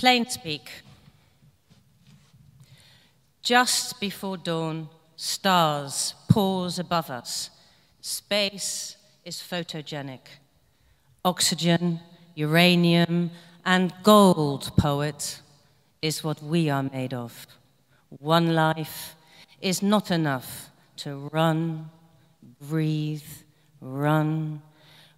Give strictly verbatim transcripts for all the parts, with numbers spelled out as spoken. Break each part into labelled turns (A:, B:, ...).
A: Plain speak. Just before dawn, stars pause above us. Space is photogenic. Oxygen, uranium, and gold, poet, is what we are made of. One life is not enough to run, breathe, run,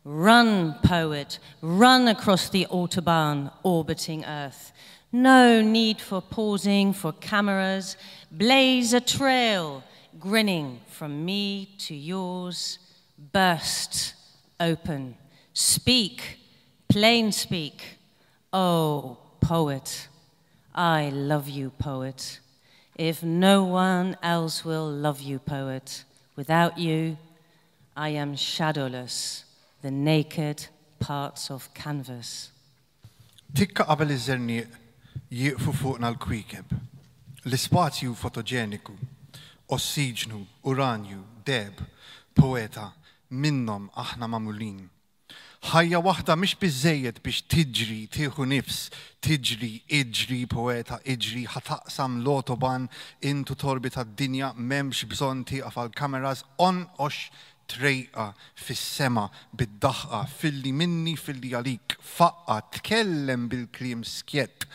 A: run, poet, run across the Autobahn orbiting Earth. No need for pausing, for cameras. Blaze a trail, grinning from me to yours. Burst open. Speak, plain speak. Oh, poet, I love you, poet. If no one else will love you, poet, without you, I am shadowless, the naked parts of canvas.
B: Tikka qabel iż-żerniq jieqfu fuqna l-kwiekeb. L-ispazju fotoġeniku, ossiġnu, uranju, deheb, poeta, minnhom aħna magħmulin. Ħajja waħda mhix biżejjed biex tiġri, tieħu nifs, tiġri, iġri, poeta, iġri, ħa taqsam l-Autobahn intu torbita d-dinja m'hemmx bżonn tieqaf għal-kameras onqox trejqa fis-sema bid-daħqa filli minni filli għalik faqqa tkellem bil-kliem skjett.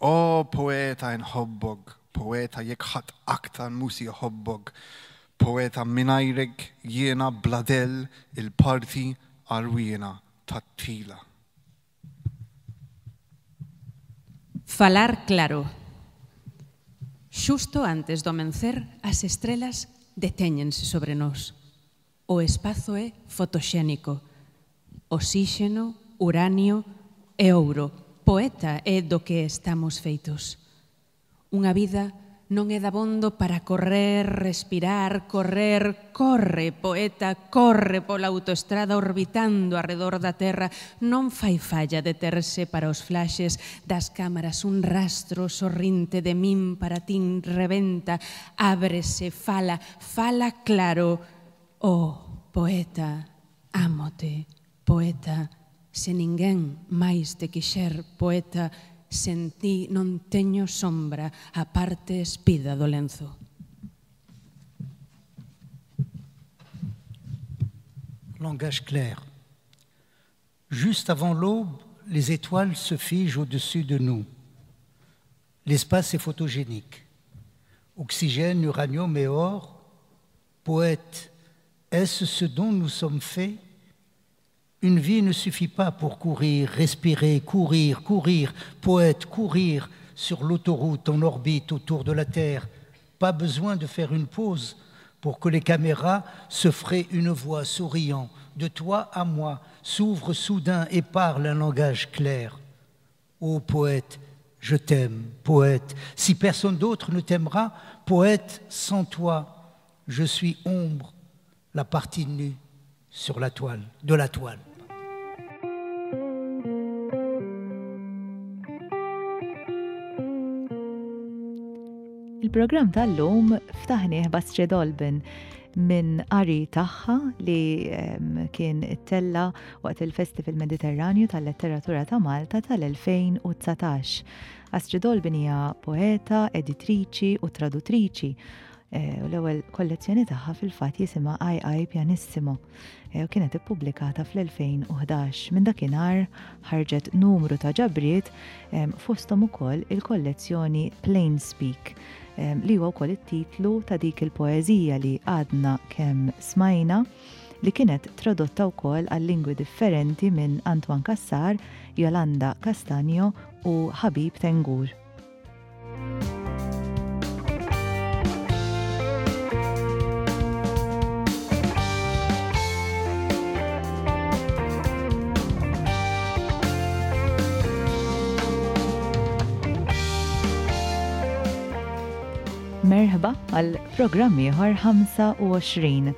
B: O poeta nħobbok, poeta jekk ħadd aktar mhu se jħobbok, poeta mingħajrek jiena bla dell il-parti għarwiena tat-tila.
C: Falar claro. Xusto antes do amencer, as estrelas detéñense sobre nós. O espazo é fotoxénico. Osíxeno, uranio e ouro. Poeta é do que estamos feitos. Unha vida non é dabondo para correr, respirar, correr, corre, poeta, corre pola autoestrada orbitando arredor da terra. Non fai falla deterse para os flashes das cámaras un rastro sorrinte de min para tin rebenta, ábrese, fala, fala claro. Oh, poeta, ámote, poeta, se ninguén máis te quixer, poeta, sen ti non teño sombra a parte espida do lenzo.
D: Langage clair. Juste avant l'aube, les étoiles se figent au-dessus de nous. L'espace est photogénique. Oxygène, uranium et or. Poète, est-ce ce dont nous sommes faits? Une vie ne suffit pas pour courir, respirer, courir, courir, poète, courir sur l'autoroute en orbite autour de la Terre. Pas besoin de faire une pause pour que les caméras se fraient une voie souriant. De toi à moi s'ouvre soudain et parle un langage clair. Ô poète, je t'aime, poète. Si personne d'autre ne t'aimera, poète, sans toi, je suis ombre, la partie nue sur la toile, de la toile.
E: Il-programm tal-lum ftaħnieh b'Astrid Olben minn qari tagħha li kien ittella waqt il-Festival Mediterranju tal-Letteratura ta' Malta tal-elfejn u dsatax. Astrid Olben hija poeta, editriċi u traduttriċi. U l-ewwel kollezzjoni tagħha fil-fatt jisimha Ai Ai Pianissimo u kienet ippubblikata fl-elfejn u ħdax. Minn dakinhar ħarġet numru ta' ġabriet fosthom ukoll il-kollezzjoni Plain Speak, li huwa wkoll it-titlu ta' dik il-poeżija li għadna kemm smajna, li kienet tradotta wkoll għal lingwi differenti minn Antoine Cassar, Yolanda Castagno u Habib Tengour. Merħba għal programm ieħor ħamsa u għoxrin.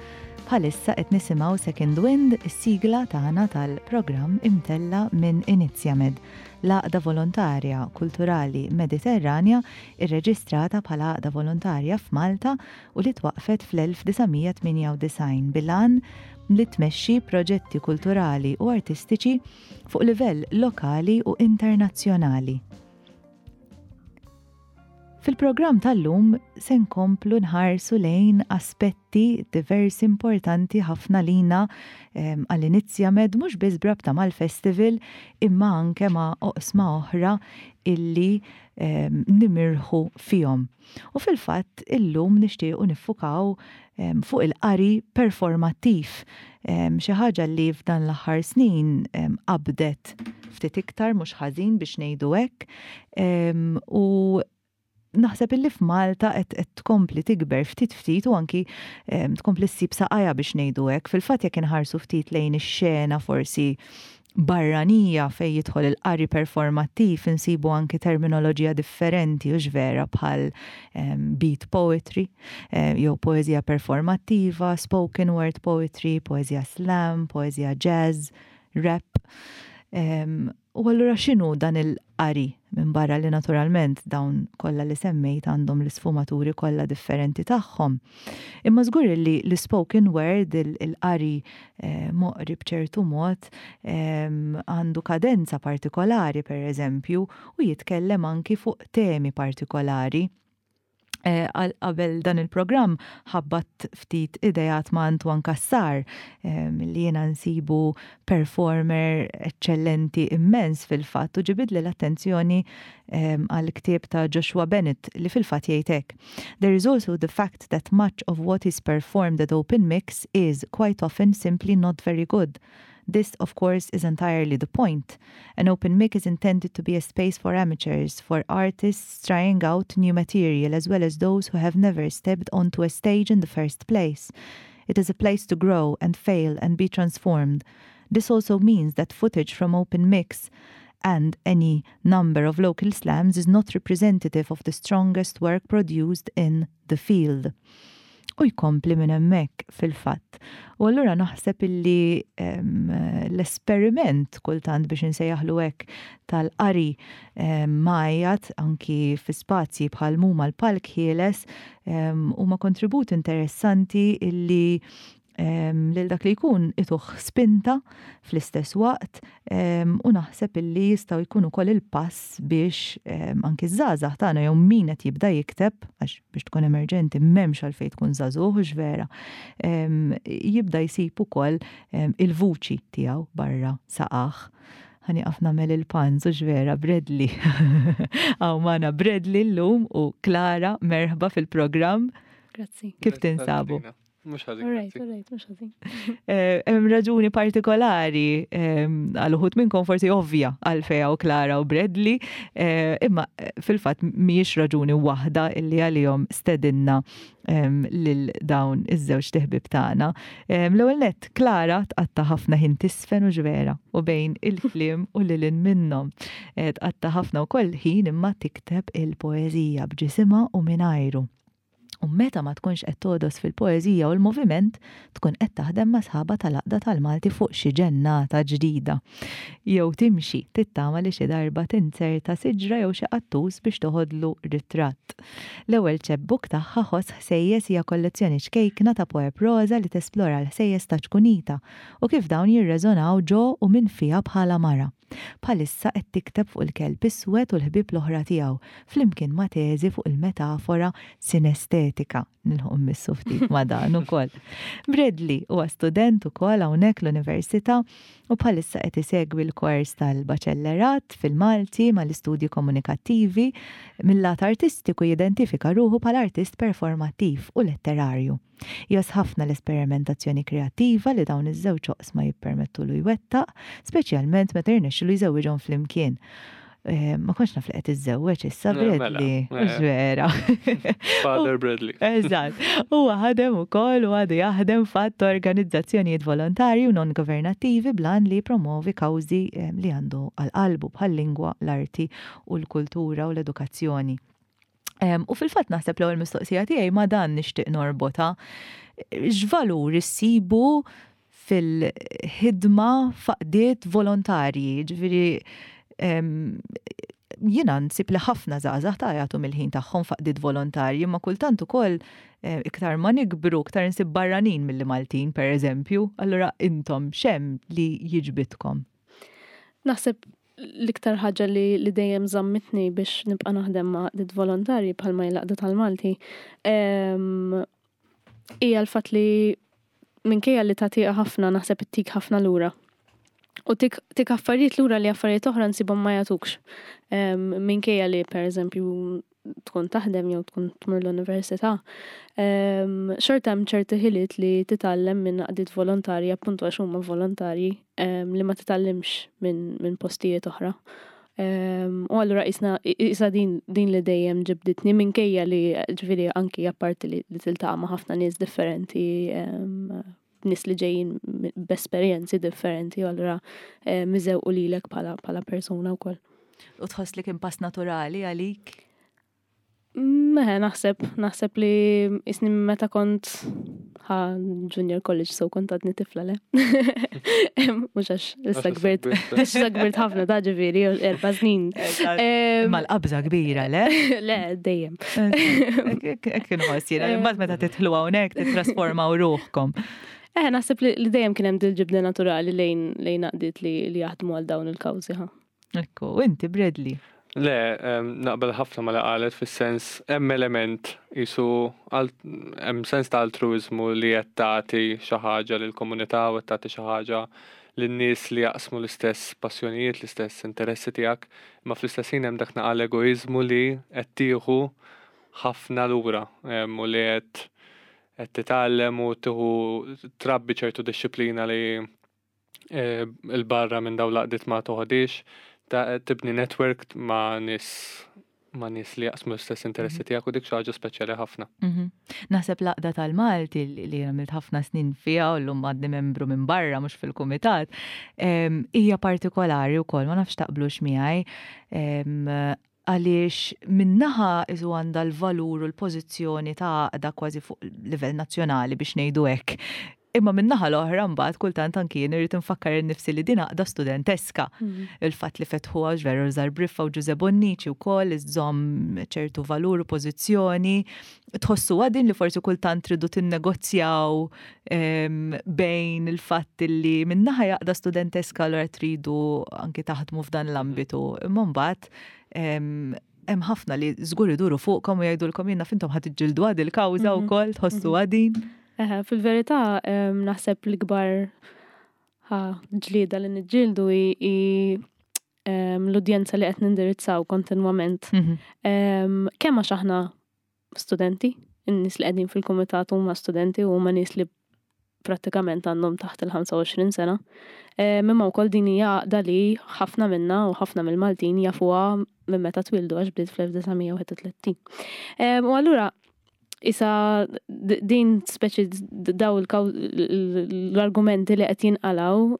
E: Bħalissa qed nisimgħu Second Wind, is-sigla tagħna tal-programm imtella minn Inizjamed, l-għaqda volontarja kulturali Mediterranja irreġistrata bħala għaqda volontarja f'Malta u li twaqfet fl-elf disa' mija tmienja u disgħin bil-għan li tmexxi proġetti kulturali u artistiċi fuq livell lokali u internazzjonali. Fil-programm tal-lum se nkomplu nħarsu lejn aspetti diversi importanti ħafna lina għall-Inizjamed, mhux biss b'rabta mal-festival imma anke ma' oqsma oħra illi nimirħu fihom. U fil-fatt illum nixtiequ niffukaw fuq il-qari performattiv, xi ħaġa li f'dan l-aħħar snin qabdet ftit iktar mhux ħażin biex ngħidu hekk, u naħseb illi f'Malta qed tkompli tikber ftit ftit u anki tkompli ssib saqajha biex ngħidu hekk. Fil-fatt jekk inħarsu ftit lejn ix-xena forsi barranija fej jidħol il-qari performattiv, insibu anki terminoloġija differenti u vera bħal beat poetry, jew poeżija performattiva, spoken word poetry, poeżija slam, poeżija jazz, rap. U allura x'inhu dan il-qari minn barra li naturalment dawn kollha li semmejt għandhom l-isfumaturi kollha differenti tagħhom? Imma żgur li l-spoken word, il-qari eh, moqri b'ċertu mod, għandu kadenza partikolari, per eżempju, u jitkellem anki fuq temi partikolari. Eh, qabel dan il-programm ħabbat ftit idejat ma' Antoine Cassar, li jiena nsibu performer eccellenti immens fil-fatt, u ġibidli l-attenzjoni għal ktieb ta' Joshua Bennett li fil-fatt jgħid hekk: "There is also the fact that much of what is performed at open mics is quite often simply not very good. This, of course, is entirely the point. An open mic is intended to be a space for amateurs, for artists trying out new material, as well as those who have never stepped onto a stage in the first place. It is a place to grow and fail and be transformed. This also means that footage from open mics and any number of local slams is not representative of the strongest work produced in the field." U jkompli minn hemmhekk fil-fatt. U allura naħseb illi l-esperiment kultant, biex insejjaħlu hekk, tal-qari mgħajjat anki fi spazji bħal muma l-palk ħieles huma kontribut interessanti illi lil dak li jkun ituh spinta fl-istess waqt, u naħseb illi jistgħu jkunu wkoll il-pass biex anki żgħażagħ tagħna jew min qed jibda jikteb, għax biex tkun emerġenti m'hemmx għalfejn tkun żagħżugħ vera, jibda jsib ukoll il-vuċi tiegħu barra saqajh. Ħa nieqaf nagħmel il-puns u vera, Bradley. Hawn magħna Bradley llum u Clara, merħba fil-programm.
F: Grazzi.
E: Kif tinsabu?
G: Mhux ħażin.
F: Alright, alright, mhux ħażin.
E: Eh, hemm raġuni partikolari, għal uħud minnkom forsi ovvja għalfejn hawn Clara u Bradley, eh, imma eh, fil-fatt mhijiex raġuni waħda illi għalihom stedinna lil dawn iż-żewġ ħbieb tagħna. L-ewwel nett, Clara tqatta' ħafna ħin tiżfen u vera u bejn il-kliem u lil minnhom. Tqatta' ħafna wkoll ħin imma tikteb il-poeżija b'ġisimha u mingħajru. U meta ma tkunx qed togħdos fil-poeżija u l-moviment, tkun qed taħdem ma' sħaba tal-Għaqda tal-Malti fuq xi ġennata ġdida. Jew timxi tittama li xi darba tinzerta siġra jew xi qattus biex toħodlu ritratt. L-ewwel chapbook tagħha, Ħoss Ħsejjes, hija kollezzjoni ċkejkna ta' poeprosa li tesplora l-ħsejjes ta' ċkunita u kif dawn jirreżonaw ġo u minn fiha bħala mara. Bħalissa qed tikteb fuq il-kelb iswed u l-ħbieb l-oħra tiegħu, flimkien ma' teżi fuq il-metafora sinestetika. Nilħu mmissu ftit ma' dan ukoll. Bradley huwa student ukoll hawnhekk l-università u bħalissa qed isegwi l-kors tal-baċellerat fil-Malti mal-istudji komunikattivi. Mill-lat artistiku jidentifika ruħu bħala artist performattiv u letterarju. Jgħożż ħafna l-esperimentazzjoni kreattiva li dawn iż-żewġ oqsma jippermettulu jwettaq, speċjalment meta jirnexxilu jżewwiġhom flimkien. Eh, ma kontx naf li qed iżżewweġ issa,
G: Eh, mela,
E: Bradley.
G: eh.
E: Vera.
G: Father Bradley.
E: Eżatt. Huwa ħadem ukoll u għadu jaħdem f'għadd organizzazzjonijiet volontarji u non-governattivi bl-għan li jippromovi kawżi eh, li għandu għal qalbu bħal-lingwa, l-arti u l-kultura u l-edukazzjoni. Em, U fil-fatt naħseb l-ewwel mistoqsija tiegħi ma' dan nixtieq norbota. X'valur issibu fil-ħidma f'għaqdiet volontarji, ġifieri em, jiena nsib li ħafna żgħażagħ ta' jagħtu mill-ħin tagħhom f'għaqdiet volontarji, ma kultant ukoll eh, iktar ma nikbru, iktar nsib barranin milli Maltin, per eżempju, allura intom x'hemm li jiġbidkom?
F: Naħseb L-iktar ħaġa li, li dejjem żammitni biex nibqa' naħdem ma' għaqdiet volontarji bħalma l-Għaqda tal-Malti hija l-fatt li minkejja li tagħtiha ħafna, naħseb ittik ħafna lura. U tik, tik affarijiet lura li affarijiet oħra nsibhom ma jagħtukx. Minkejja li, per eżempju, tkun taħdem jew tkun tmur l-università, xorta hemm ċerti ħiliet li titgħallem minn għaqdiet volontarji, appuntu għax huma volontarji, li ma titgħallimx minn min postijiet oħra. U allura isna isa din, din li dejjem ġibditni, minkejja li, ġifieri, anki apparti li, li tiltaqa' ma' ħafna nies differenti, nies li ġejjin b'esperjenzi differenti, u allura iżewqu lilek bħala bħala persuna wkoll.
E: U tħoss li kien pass naturali għalik?
F: Meħe, naħseb, naħseb li isni meta kont ħa junior college, so kont għadni tifla, le. Mux għax issa kbirt, issa kbirt ħafna ta', ġifieri, erba' snin.
E: Ma l-qabża kbira, le?
F: Le, dejjem.
E: Hekk inħoss jiena, imbagħad meta tidħlu hawnhekk titrasformaw ruħkom.
F: Eh, naħseb li dejjem kien hemm dil-ġibda naturali lejn lejn għaqdiet li li jaħdmu għal dawn il-kawżi, ħa.
E: Ekku, inti, Bradley?
G: Le, naqbel ħafna ma li qalet, fis-sens hemm element jisu hemm sens ta' altruizmu li qed tagħti xi ħaġa lill-komunità u qed tagħti xi ħaġa lin-nies li jaqsmu l-istess passjonijiet, l-istess interessi tiegħek, imma fl-istess ħin hemm dak naqal egoizmu li qed tieħu ħafna lura u li qed qed titgħallem u tieħu trabbi ċertu disċiplina li eh, il-barra minn dawn l-għaqdiet ma toħodix, tibni network ma' nies ma' nies li jaqsmu l-istess interessi tiegħek, u dik xi ħaġa speċjali ħafna.
E: Mhm. Naħseb l-Għaqda tal-Malti li għamilt ħafna snin fiha u llum għadni membru minn barra, mhux fil-kumitat, hija partikolari wkoll, ma nafx taqblux miegħi, għaliex min-naħa isu għandha l-valur u l-pożizzjoni ta' għaqda kważi fuq livell nazzjonali, biex ngħidu hekk. Imma min-naħa l-oħra mbagħad kultant anki jien irrid infakkar innifsi li din għaqda studenteska. Mhm. Il-fatt li fetħu għax veru Rużar Briffa u Ġuże Bonnici wkoll iżżomm ċertu valur u pożizzjoni. Tħossu għadin li forsi kultant tridu tinnegozjaw bejn il-fatt li min-naħa għaqda studenteska, allura tridu anki taħdmu f'dan l-ambitu. Imma mbagħad hemm ħafna li żgur iduru fuqkom u jgħidulkom, "Jiena fintom ħa tiġġieldu għad il-kawża mhm. wkoll", tħossu mhm. għadin?
F: Fil-verità, naħseb l-ikbar ġlieda li niġġieldu hi l-udjenza li qed nindirizzaw kontinwament. Mhm. Kemm għax aħna studenti, in-nies li qegħdin fil-kumitat huma studenti u huma nies li prattikament għandhom taħt il-ħamsa u għoxrin sena. Imma wkoll din hija għaqda li ħafna minna u ħafna mill-Maltin jafuha minn meta twildu, għax bdiet fl-elf disa' mija u wieħed u tletin. U allura isa din speċi daw l-argumenti li qed jinqalaw,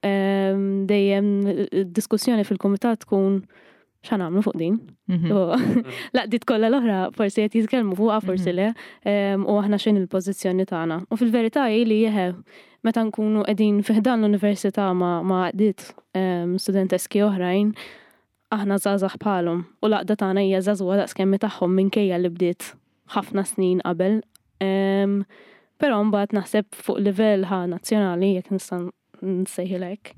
F: dejjem diskussjoni fil-kumitat tkun x'ħa nagħmlu fuq din. Mhm. L-għaqdiet kollha l-oħra forsi qed jitkellmu fuqha, forsi mhm. le, u aħna x'inhi l-pożizzjoni tagħna? U fil-verità hi li jeħe meta nkunu qegħdin fi ħdan l-università ma' għaqdiet studenteski oħrajn, aħna żgħażagħ bħalhom u l-għaqda tagħna hija żagħżugħa daqs kemm tagħhom, minkejja li bdiet ħafna snin qabel. Però mbagħad naħseb fuq livell ħa nazzjonali, jekk nista' nsejħilek,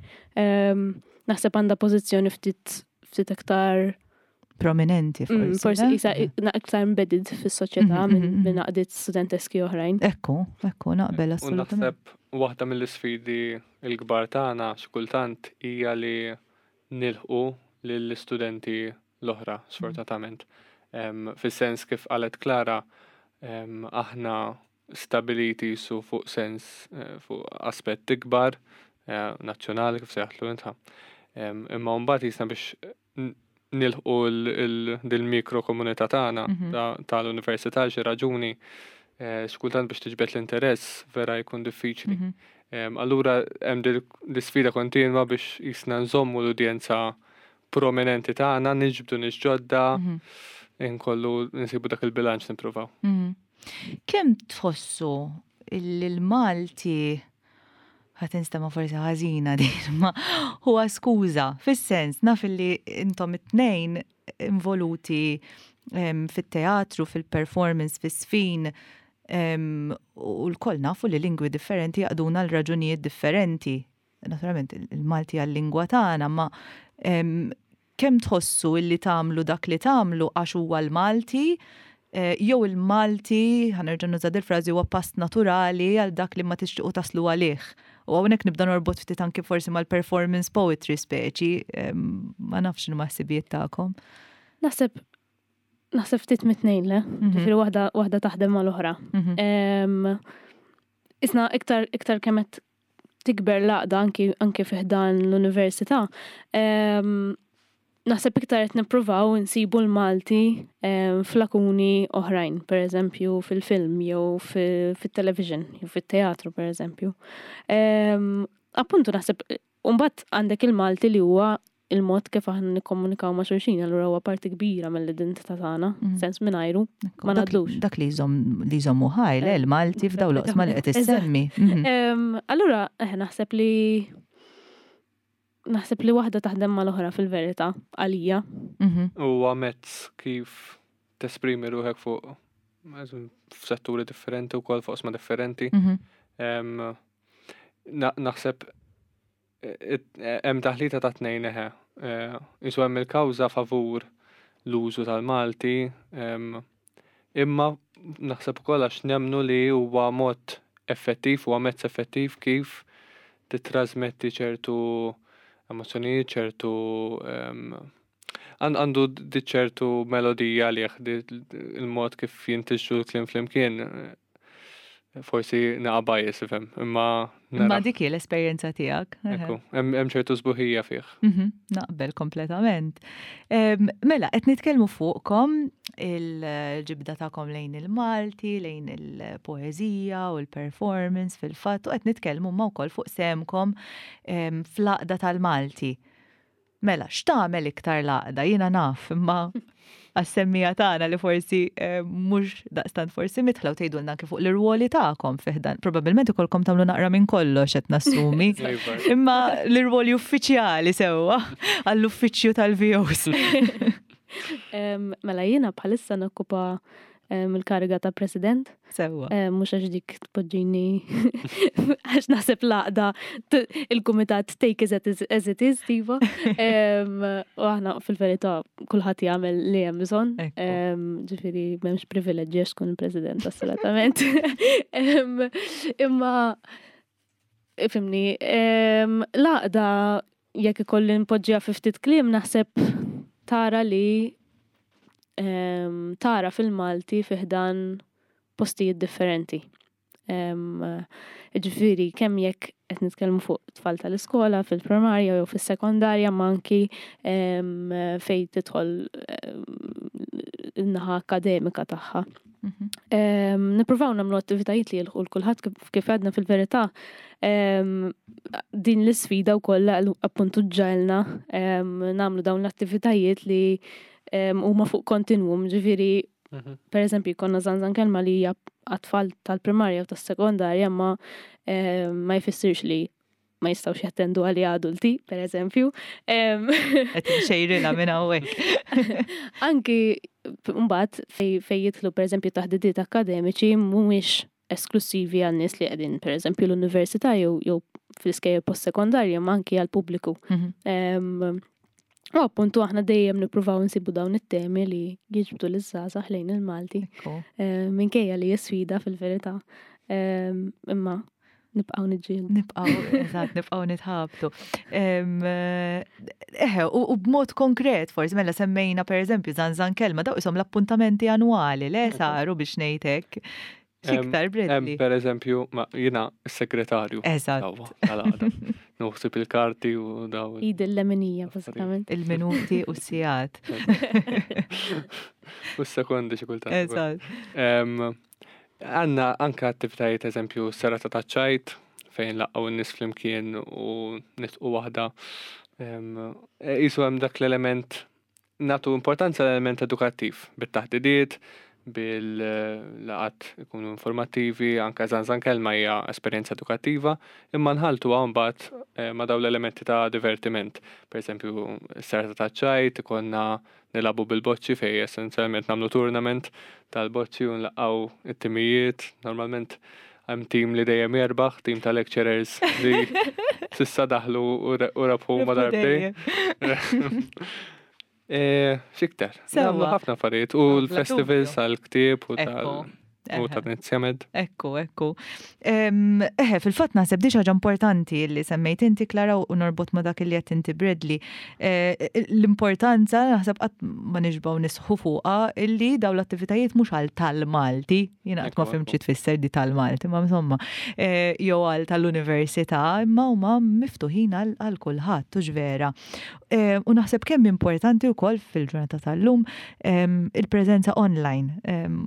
F: naħseb għandha pożizzjoni ftit ftit aktar
E: prominenti.
F: Mm, forsi. Forsi isa aktar embedded fis-soċjetà mhm, mhm, mhm. minn għaqdiet studenteski oħrajn.
E: Ekku, ekku, naqbel assolutament.
G: Naħseb waħda mill-isfidi l-kbar tagħna xi kultant hija li nilħqu lill-istudenti l-oħra, sfortunatament. Fis-sens kif qalet Klara, aħna stabiliti su fuq sens eh, fuq aspett ikbar eh, nazzjonali, kif sejjaħtlu inta. Imma mbagħad jisna biex nilħqu dil-mikro komunità tagħna mhm. tal-università, xi raġuni eh, xkultant biex tiġbed l-interess vera jkun diffiċli. Mhm. Allura hemm l-isfida kontinwa biex jisna nżommu l-udjenza prominenti tagħna, niġbdu nies ġodda, mhm. inkollu nsibu dak il-bilanċ, nippruvaw.
E: Kemm tħossu il-Malti, ħa tinstema' forsi ħażina din, ma huwa skuża, fis-sens naf li intom it-tnejn involuti fit-teatru, fil-performance, fis-sfin, u lkoll nafu li lingwi differenti jaqduna l-raġunijiet differenti. Naturalment, il-Malti għal-lingwa tagħna, ma Kemm tħossu illi tagħmlu dak li tagħmlu għax huwa l-Malti, eh, jew il-Malti, ħa nerġa' nuża il-frażi, huwa pass naturali għal dak li ma tixtiequ taslu għalih? U hawnhekk nibda norbot ftit anki forsi mal-performance poetry speċi, ma nafx x'inhuma ħsibijiet tagħkom.
F: Naħseb naħseb ftit mit-tnejn, le? Mhm. Ġifieri waħda waħda taħdem mal-oħra. Mhm. Isna iktar iktar kemm qed tikber l-għaqda anki anki fi ħdan l-università, naħseb iktar qed nippruvaw insibu l-Malti f'lakuni oħrajn, per eżempju fil-film jew fit-television jew fit-teatru, per eżempju. Appuntu naħseb mbagħad għandek il-Malti li huwa il-mod kif aħna nikkomunikaw ma' xulxin, allura huwa parti kbira mill-identità tagħna, mm. sens mingħajru ma ngħaddux.
E: Dak li jżomm li jżommu ħaj, le, l-Malti f'daw l-oqsma li qed issemmi.
F: Mhm. Allura eh, naħseb li naħseb li waħda taħdem mal-oħra fil-verità għalija.
G: Mhm. Huwa mezz kif tesprimi ruħek fuq f'setturi differenti u kol fuq oqsma differenti. Mhm. Naħseb hemm taħlita ta' tnejn, eħe. Isu hemm il-kawża favur l-użu tal-Malti, imma naħseb ukoll għax nemnu li huwa mod effettiv, huwa mezz effettiv kif titrasmetti ċertu emozzjonijiet, ċertu għandu di ċertu melodija għalih, il-mod kif jintiġu l-kliem flimkien, forsi naqa bias, ifhem, imma.
E: Imma dik hi l-esperjenza tiegħek.
G: Ekku, hemm ċertu sbuħija fih.
E: Mhm, naqbel kompletament. Mela, qed nitkellmu fuqkom, il-ġibda tagħkom lejn il-Malti, lejn il-poeżija u l-performance fil-fatt, u qed nitkellmu ma wkoll fuq sehemkom fl-għaqda tal-Malti. Mela, x'tagħmel iktar l-għaqda? Jiena naf, imma għas-semmiegħa tagħna li forsi eh, mhux daqstant forsi midħla u tgħidulna anke fuq l-irwoli tagħkom fi ħdan. Probabbilment ikolkom tagħmlu naqra minn kollox, qed nassumi. Imma l-irwoli uffiċjali sewwa għall-uffiċċju tal-V Os.
F: Mela, jiena bħalissa nokkupa il-kariga ta' president.
E: Sewwa.
F: Mhux għax dik tpoġġini, għax naħseb l-għaqda, il-kumitat take it as it is, tipo. U aħna fil-verità kulħadd jagħmel li hemm bżonn. Ġifieri m'hemmx privileġġi għax tkun il-president, assolutament. Imma ifhimni, l-għaqda, jekk ikolli npoġġiha fi ftit kliem, naħseb tara li tara fil-Malti fi ħdan postijiet differenti. Ġifieri, kemm jekk qed nitkellmu fuq tfal tal-iskola, fil-primarja jew fis-sekondarja, ma anki fejn tidħol in-naħa akademika tagħha. Mhm. Nippruvaw nagħmlu attivitajiet li jilħqu kulħadd, kif għedna fil-verità. Din l-isfida wkoll appuntu ġġegħelna nagħmlu dawn l-attivitajiet li huma fuq kontinwum, ġifieri mhm. per eżempju konna Żanżan Kelma li hija għat-tfal tal-primarja u tas-sekondarja, ma ma jfissirx li ma jistawx jattendu għali adulti, per eżempju.
E: Qed xejrila minn hawnhekk.
F: Anki mbagħad fej jidħlu, per eżempju, taħdidiet akademiċi mhumiex esklusivi għal nies li qegħdin, per eżempju, l-università jew jew fl-iskejjel post-sekondarja, ma anki għal pubbliku. Mhm. U appuntu aħna dejjem nippruvaw nsibu dawn it-temi li jiġbdu l-żgħażagħ lejn il-Malti. Minkejja li sfida fil-verità. Imma nibqgħu niġġieldu.
E: Nibqgħu, eżatt, nibqgħu nitħabtu. Eħe, u b'mod konkret, forsi mela semmejna per eżempju Żanżan Kelma, daw isom l-appuntamenti annwali, le, saru biex ngħidlek. X'iktar, Bradley?
G: Per eżempju, ma jiena s-segretarju.
E: Eżatt.
G: Naħseb il-karti u daw.
F: Id il-leminija, bażikament.
E: Il-minuti u s-sigħat.
G: U s-sekondi xi kultant.
E: Eżatt.
G: Għandna anka attivitajiet, eżempju, serata ta' ċajt, fejn nlaqqgħu n-nies flimkien u nidħku waħda. Jisu hemm dak l-element, nagħtu importanza l-element edukattiv, bit-taħdidiet, bil-laqgħat ikunu informattivi, anka Żanżan Kelma hija esperjenza edukattiva, imma nħaltu mbagħad eh, ma' dawn l-elementi ta' divertiment. Per eżempju, serata ta' ċajt, ikonna nilagħbu bil-boċċi fej essenzjalment nagħmlu tournament tal-boċċi u nlaqqgħu it-timijiet, normalment hemm tim li dejjem jerbaħ, tim ta' lecturers li s'issa daħlu u rebħu ma darbtejn. Eh, x'iktar? Nagħmlu ħafna affarijiet u l-festivals għall-ktieb u tal U ta' Inizjamed.
E: Ekku, ekku. Eħe, fil-fatt naħseb di ħaġa importanti li semmejt inti Klara u norbot ma dak li qed inti Bradley. Eh, l-importanza naħseb qatt ma nixbgħu nisħu fuqha illi daw l-attivitajiet mhux għal tal-Malti, jiena qatt ma fhimt xi tfisser di tal-Malti, ma insomma, eh, jew għal tal-università, imma huma miftuħin għal kulħadd, u vera. Eh, u naħseb kemm importanti wkoll fil-ġurnata tal-lum il-preżenza online.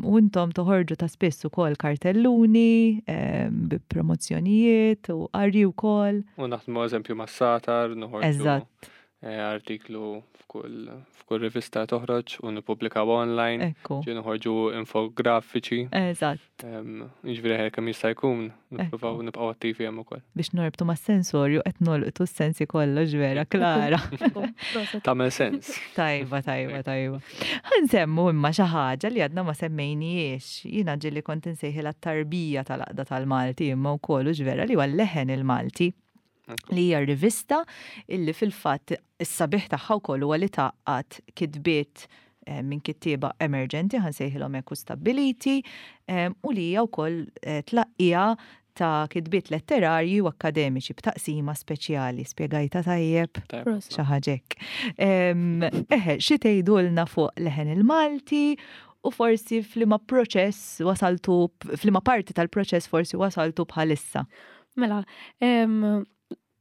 E: U intom toħorġu ta' spiss ukoll kartelluni, bi promozzjonijiet u qari wkoll.
G: U naħdmu eżempju ma' Satar, noħorġu
E: Eżatt.
G: Eh, artiklu f'kull f'kull rivista toħroġ u nippubblikaw online.
E: Ekku.
G: Ġi noħorġu infografiċi.
E: Eżatt.
G: Jiġifieri kemm jista' jkun nippruvaw nibqgħu attivi hemm ukoll.
E: Biex norbtu mas-sensorju qed nolqtu s-sensi kollox vera, Klara.
G: Tagħmel sens.
E: Tajba, tajba, tajba. Ħa nsemmu imma xi ħaġa li għadna ma semmejnijiex. Jiena ġieli kont insejħilha t-tarbija tal-Għaqda tal-Malti imma wkoll hux vera li huwa Leħen il-Malti li hija rivista illi fil-fatt is-sabiħ tagħha wkoll huwa li tgħaqqad kitbiet eh, minn kittieba emerġenti ħa nsejħilhom hekk u stabbiliti eh, u li hija wkoll eh, tlaqqija ta' kitbiet letterarji u akademiċi b'taqsima speċjali. Spjegajta tajjeb?
F: Prosit.
E: Xi ħaġa hekk. Eħe, xi tgħidulna fuq Leħen il-Malti u forsi f'liema proċess wasaltu, f'liema parti tal-proċess forsi wasaltu bħalissa?
F: Mela, em,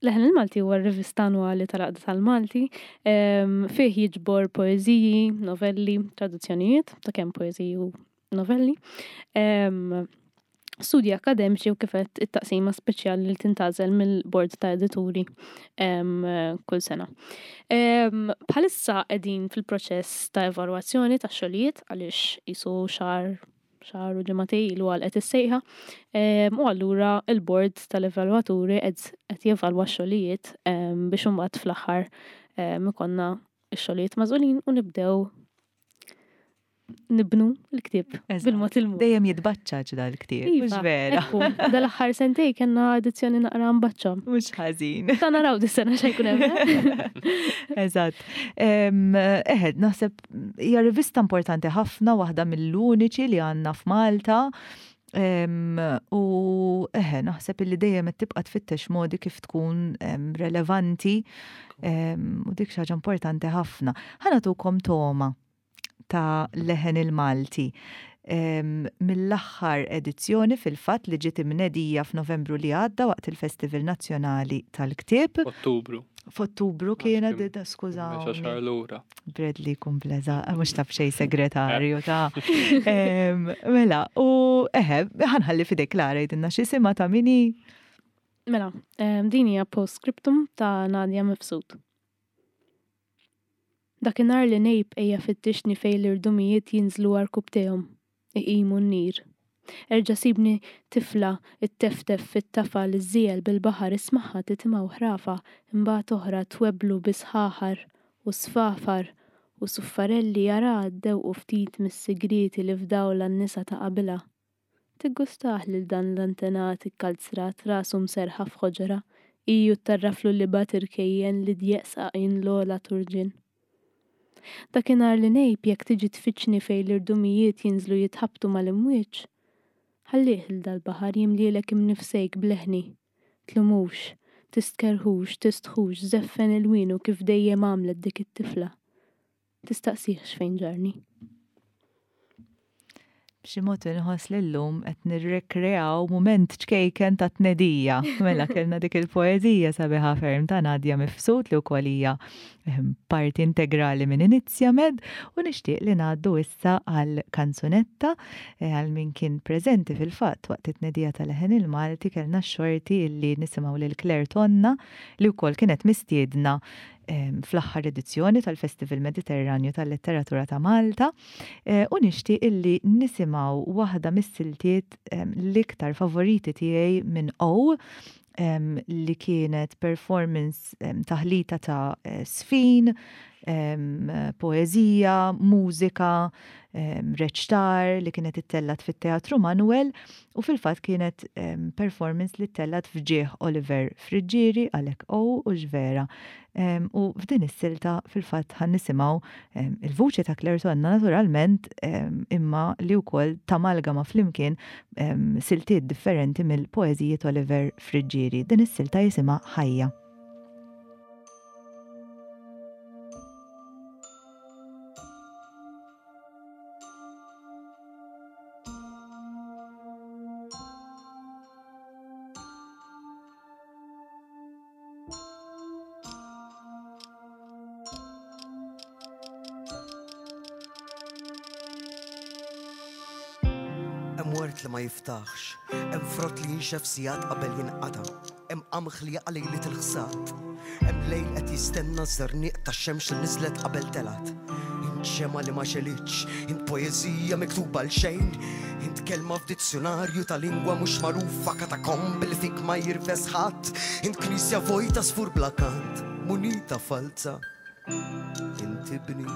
F: Leħen il-Malti huwa r-rivista annwali tal-Għaqda tal-Malti, em, fih jiġbor poeżiji, novelli, traduzzjonijiet, ta' kemm poeżiji u novelli, em, studji akademiċi u kif għedt it-taqsima speċjali li tintgħażel mill-bord ta' edituri em, kull sena. Em, Bħalissa qegħdin fil-proċess ta' evalwazzjoni ta' xogħlijiet għaliex qisu xahar xahar u ġimagħtejn ilu għalqet is-sejħa. Em, U allura il-bord tal-evalwaturi qed qed jevalwa x-xogħlijiet em, biex imbagħad fl-aħħar em, ikollna x-xogħlijiet magħżulin u nibdew nibnu l-ktieb
E: Eżatt.
F: bil-mod il-mod.
E: Dejjem jitbaċċaġ dal-ktieb, mhux
F: Iva,
E: vera.
F: ekku, dal-aħħar sentej kellna edizzjoni naqra mbaċċa.
E: Mhux ħażin.
F: Ta' naraw dis-sena x'ħa jkun hemm.
E: Eżatt. Em, Eħed, naħseb hija rivista importanti ħafna, waħda mill-uniċi li għandna f'Malta. Em, U eħe, naħseb illi dejjem qed tibqa' tfittex modi kif tkun em, relevanti em, u dik xi ħaġa importanti ħafna. Ħa nagħtukom togħma ta' Leħen il-Malti. Em, Mill-aħħar edizzjoni fil-fatt li ġiet imnedija f'Novembru li għadda waqt il-Festival Nazzjonali tal-Ktieb.
G: Ottubru.
E: F'Ottubru
G: Għax
E: kienet,
G: kien
E: skużawni.
G: Mexa xahar lura.
E: Bradley kumpleza, mhux taf xejn segretarju ta' Em, Mela, u eħe, ħa nħalli f'idejk Klara għidilna x'jisimha ta' min hi.
F: Mela, em, din hija postscriptum ta' Nadia Mifsud. Dakinhar li ngħib ejja fittixni fejn l-irdumijiet jinżlu għarkupptejhom, iqimu n-nir. Erġa' sibni tifla it-teftef fit-tafa li żiel bil-baħar ismaħħa titimgħu ħrafa imbagħad oħra twebblu bi sħaħar u sfafar u suffarelli jara ddewqu ftit mis-sigrieti li fdawla n-nisa ta' qabilha. Tiggustah lil dan l-antenat ikkalzrat rasu mserħa f'ħoġra, iju tarraflu li bat irkejjen li djeq saqin l-ogħla turġien. Dakinhar li ngħib jekk tiġi tfittxni fejn l-irdumijiet jinżlu jitħabtu mal-imwieġ, ħallih il dal-baħar jimlielek imnifsejk bleħni. Tlumux, tistkerħux, tistħux, żeffen il-winu kif dejjem għamlet dik it-tifla. Tistaqsihx fejn ġarni.
E: B'xi mod inħoss li llum qed nirrekreaw mument ċkejken ta' tnedija. Mela kellna dik il-poeżija sabiħa ferm ta' Nadia Mifsud li wkoll hija ehm, parti integrali minn Inizjamed u nixtieq li ngħaddu issa għal kanzunetta eh, għal min kien preżenti fil-fatt waqt it-tnedija tal-Leħen il-Malti kellna x-xorti illi nisimgħu lil Claire Tonna li wkoll kienet mistiedna em, fl-aħħar edizzjoni tal-Festival Mediterranju tal-Letteratura ta' Malta eh, u nixtieq illi nisimgħu waħda mis-siltiet em, l-iktar favoriti tiegħi minn O em, li kienet performance em, taħlita ta' eh, sfin, poeżija, mużika, reċtar li kienet ittellat fit-Teatru Manuel u fil-fatt kienet performance li ttellat f'ġieħ Oliver Friggieri għalhekk O u ġvera. U f'din is-silta fil-fatt ħa nisimgħu il-vuċi ta' Claire Tonna naturalment, imma li wkoll tamalgama flimkien siltiet differenti mill-poeżijiet Oliver Friggieri. Din is-silta jisimha Ħajja.
H: Hemm wert li ma jiftaħx, hemm frott li jinxef sigħat qabel jinqata', hemm qamħ li jaqa' lejliet il-ħsad, hemm lejl qed jistenna ż-żerniq tax-xemx li niżlet qabel telgħet. Int xema li ma xelitx, int poeżija miktuba għal xejn, int kelma f'dizzjonarju ta' lingwa mhux magħrufa, katakomb li fik ma jirfes ħadd, int knisja vojta sfur bla kant, munita falza, int ibni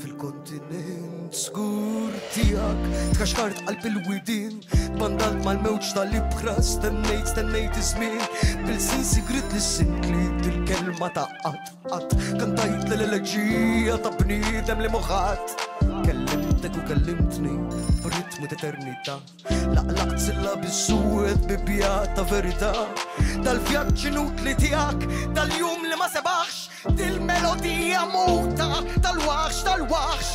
H: fil-kontinent skur tiegħek, tkaxkart qalb il-widien, tbandalt mal-mewġ tal-ibħra, stennejt, stennejt iż-żmien, bil-sin sigrit li sintli il-kelma ta' qatt, qatt, kantajt l-eleġija ta' bniedem li moħħat. Kellimtek u kellimtni b'ritmu t'eternità, laqlaqt silla bis-suwed bibja ta' verità, dal-vjaġġ inutli tiegħek, dal-jum li ma sebaħx, dil-melodija muta tal-waħx, tal-waħx.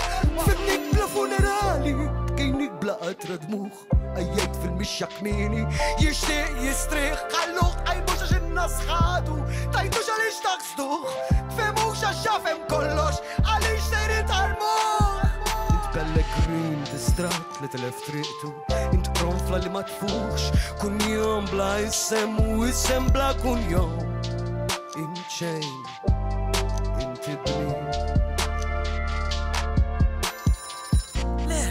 H: Fimnik bla funerali, bkejnik bla qatra dmuħ, għajjajt fil-mixja kmieni, jixtieq jistrieħ, ħalluh qajmux għax in-nas ħadu, tajtux għaliex taħsduh, tfehmux għax jafhem kollox, għaliex sejrin tarmuh. Int pellegrin distrat li telef triqtu, int qronfla li ma tfuħx, kunjom bla isem u isem bla kunjom, int xejn, int ibni.
I: Le,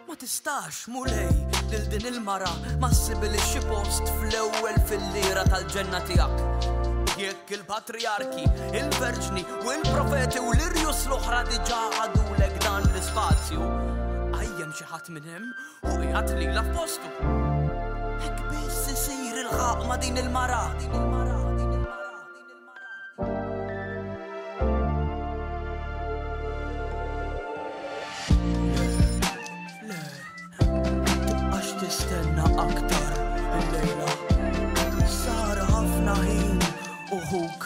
I: ma tistax Mulej lil din il-mara ma ssibilix xi post fl-ewwel fil-lira tal-ġenna tiegħek. Jekk il-patriarki, il-verġni u l-profeti u l-irjus l-oħra diġà ħadulek dan l-ispazju, għajjem xi ħadd minn hemm u qiegħed lilha f'postu. Hekk biss isir il-ħaq ma' din il-mara. Din il-mara, din il-mara, din il-mara. Le, tibqax tistenna aktar il-lejla. Sar ħafna ħin u ħuk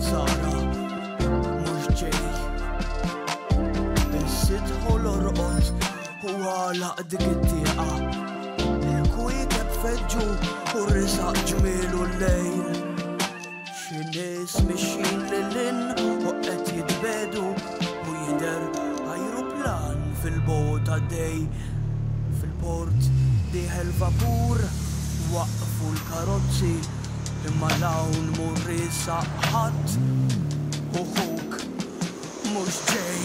I: Sara mhux ġej. Is-sitħu l-orqod u għalaq dik it-tieqa. Il-kwiekeb feġġu u risaq ġmielu l-lejl. Xi nies mixjin lil hinn u qed jitbedu u jidher ajruplan fil-bogħod għaddej. Fil-port dieħel vapur, waqfu l-karozzi, imma l-hawn mur riesaq ħadd u ħuk mhux ġej.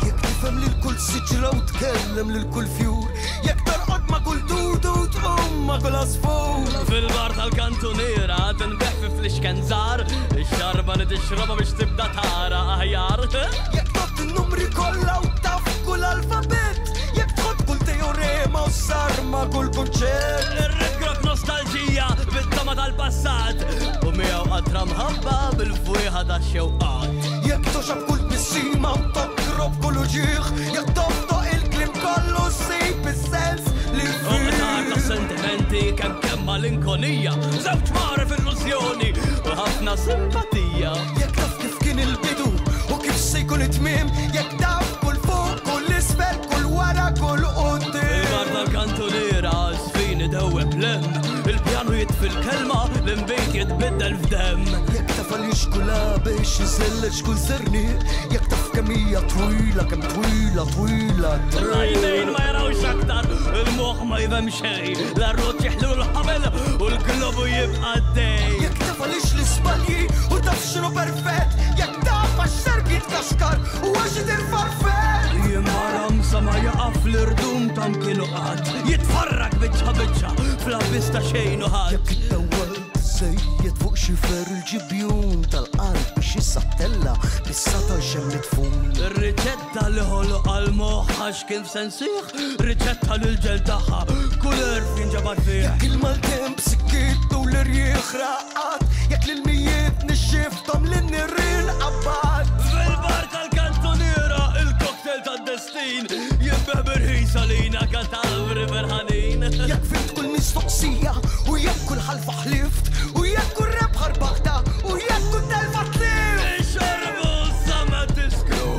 H: Jekk tifhem lil kull siġra u tkellem lil kull fjur, jekk torqod ma' kull dudu u tqum ma' kull għasfur.
I: Fil-bar tal-kantuniera tinbeħ fi flixken żgħar, ix-xarba li tixrobha biex tibda tara aħjar.
H: Jekk tgħodd in-numri kollha u taf kull alfabett, jekk tħodd kull teorema u sarma kull kunċett.
I: Ir-rigrok nostalġija bit-tama tal-passat, u miegħu qatra mħabba bil-fwieħa tax-xewqat.
H: Jekk toxab kull tbissima u tokrob kull uġigħ, jekk toftoq il-kliem kollu ssib is-sens li
I: U qtar ta' sentimenti kemm kemm malinkonija, żewġ mari f'illużjoni u ħafna simpatija.
H: Jekk taf kif kien il-bidu u kif se jkun it-tmiem, jekk taf kull fuq, kull isfel, kull wara, kull quddiem.
I: Il-bar tal-kantuniera żfin idewweb l-hemm, il-pjanu jitfi l-kelma, l-inbejt jitbiddel f'demm.
H: Jekk taf għaliex kull għabex iżelleġ kull żerniq, jekk taf kemm hija twila, kemm twila, twila t-triq.
I: L-għajnejn ma jarawx aktar, il-moħħ ma jifhem xejn, l-arrot jeħlu l-ħabel u l-globu jibqa' għaddej.
H: Jekk taf għaliex l-iżbalji u taf x'inhu perfett, jekk taf għax serb jitkaxkar u għax itirfarfett.
I: Jien ma ramsa ma jaqaf l-irdum ta' mkienu qatt, jitfarrak biċċa biċċa fl-abyss ta' xejn u ħadd.
H: Jekk iddawwalt Żejjed fuq xifer il-ġibjun tal-qalb biex issa ttella' bis-sata xemm midfun.
I: Ir-riċetta li ħoloq għall-moħħ għax kien f'sensih, riċetta li l-ġel tagħha kull għerf jinġabar fih.
H: Jekk il-maltemp sikkittu l-irjieħ raqqat, jekk l-ilmijiet nixxifthom lin-nirien qabbat.
I: Fil-bar tal-kantuniera il-cocktail tad-destin jinbeh b'irħis għalina katavri ferħanin.
H: Jekk fimt kull mistoqsija u jekk kull ħalfa ħlift u jekk kull rebħa rbaħta u jekk kull telfa tlift.
I: Ixorbu sa ma tiskru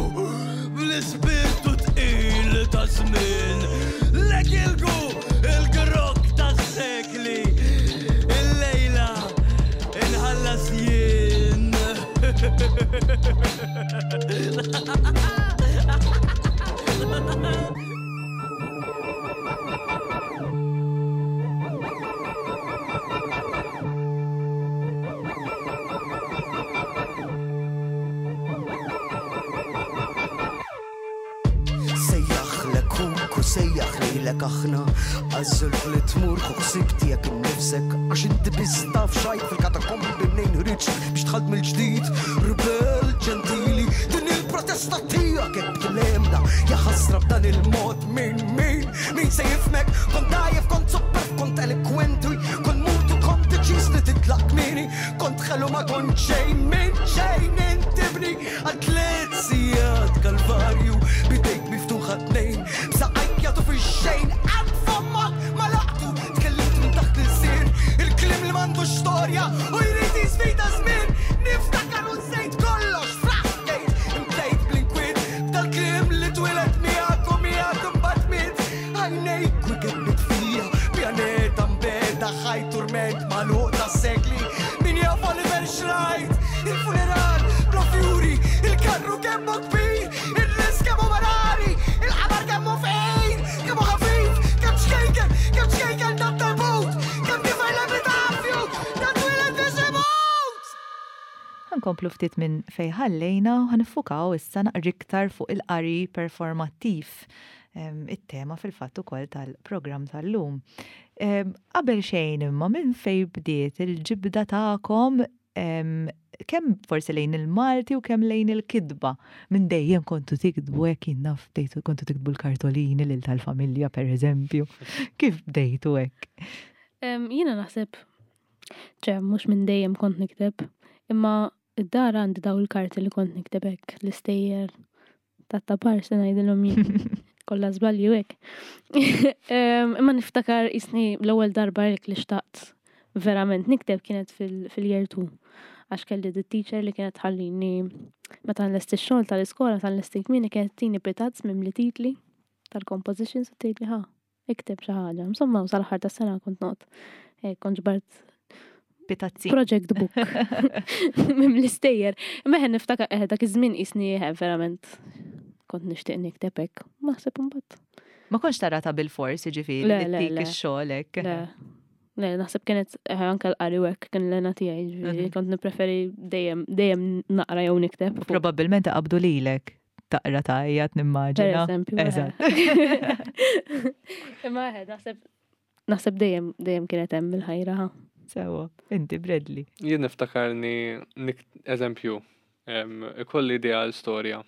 I: bl-ispirtu tqil ta' żmien. Lekilgu il-grok tas-sekli. Il-lejla inħallas jien.
H: Sejjaħlek huk u sejjaħ lejlek aħna, għażilt li tmur fuq ħsieb tiegħek innifsek, għax inti biss taf xajt fil-katakombi mnejn ħriġt biex dħalt mill-ġdid, ribel ġentili, din il-protesta tiegħek hekk tlemna, ja ħasra b'dan il-mod min min min se jifmek, kont dajjef, kont superf, kont elokwenti, kont mutu, kont deċiż li titlaq kmieni, kont ħelu ma kont xejn minn xejn intibni għal tliet sigħat kalvarju bidejk miftuħa tnejn, b'saqajk jagħtu fix-xejn, qatt fomok ma laqtu, tkellimt minn taħt l-ilsien, il-kliem li m'għandux storja u jrid jisfida żmien, niftakar u nsejt kollox fraħkejt, imtlejt bl-inkwiet, b'dal-kliem li twieled miegħek u miegħek imbagħad miet, għajnejk wicked mitfija, pjaneta mbeda, ħaj turment magħluq tas-sekli, min jaf Oliver xrajt, il-funeral bla fjuri, il-karru kemmu kbir, il-ris kemmu marari, il-qamar kemmu fejn, kemmu ħafif, kemm xkejken, kemm xkejken dat tabut, kemm tifel l-epitafju, dat twieled biex imut!
E: Ħankomplu ftit minn fejn ħallejna u ħanifukaw issa naqra iktar fuq il-qari performattiv, em, it-tema fil-fatt ukoll tal-programm tal-lum. Em, Qabel xejn imma minn fejn bdiet il-ġibda tagħkom, em, kemm forsi lejn il-Malti u kemm lejn il-kitba. Minn dejjem kontu tiktbu hekk, jien naf bdejtu kontu tiktbu l-kartolini lil tal-familja per eżempju. Kif bdejtu hekk?
F: Em, Jiena naħseb, ċe, mhux minn dejjem kont nikteb, imma id-dar għandi daw il-karti li kont nikteb hekk, l-istejjer tat-tapar se ngħidilhom jien. Kollha żbalji u hekk. Em, Imma niftakar isni l-ewwel darba hekk li xtaqt verament nikteb kienet fil-, fil-year two. Għax kelli di teacher li kienet tħallini meta nlesti x-xogħol tal-iskola tal-lesti kmieni kienet tini pitazz mimli titli tal-compositions u tgħidli ħa, ikteb xi ħaġa. Insomma, u sal-aħħar tas-sena kont noqgħod. Eh, kont ġbart
E: Pitazzi.
F: Project book. Mimli stejjer. Imma ħen niftakar, eh, dak iż-żmien qisni, eh, verament kont nixtieq nikteb hekk. Naħseb imbagħad.
E: Ma kontx tara ta' bil-fors, jiġifieri,
F: Le,
E: li
F: le,
E: tik
F: le.
E: ix-xogħol hekk.
F: Le. Le, naħseb kienet, eh, anke l-qari u hekk kien l-għena tiegħi, jiġifieri,
E: Mhm.
F: kont nippreferi dejjem, dejjem naqra jew nikteb.
E: U probabbilment qabdu lilek taqra tgħajjat nimmaġina.
F: Per eżempju, eh.
E: Eżatt.
F: Imma eh, naħseb, naħseb dejjem, dejjem kienet hemm il-ħajra. Ha.
E: Sewa, inti Bradley.
G: Jien niftakarni nik-, eżempju, em, ikolli idea għal storja.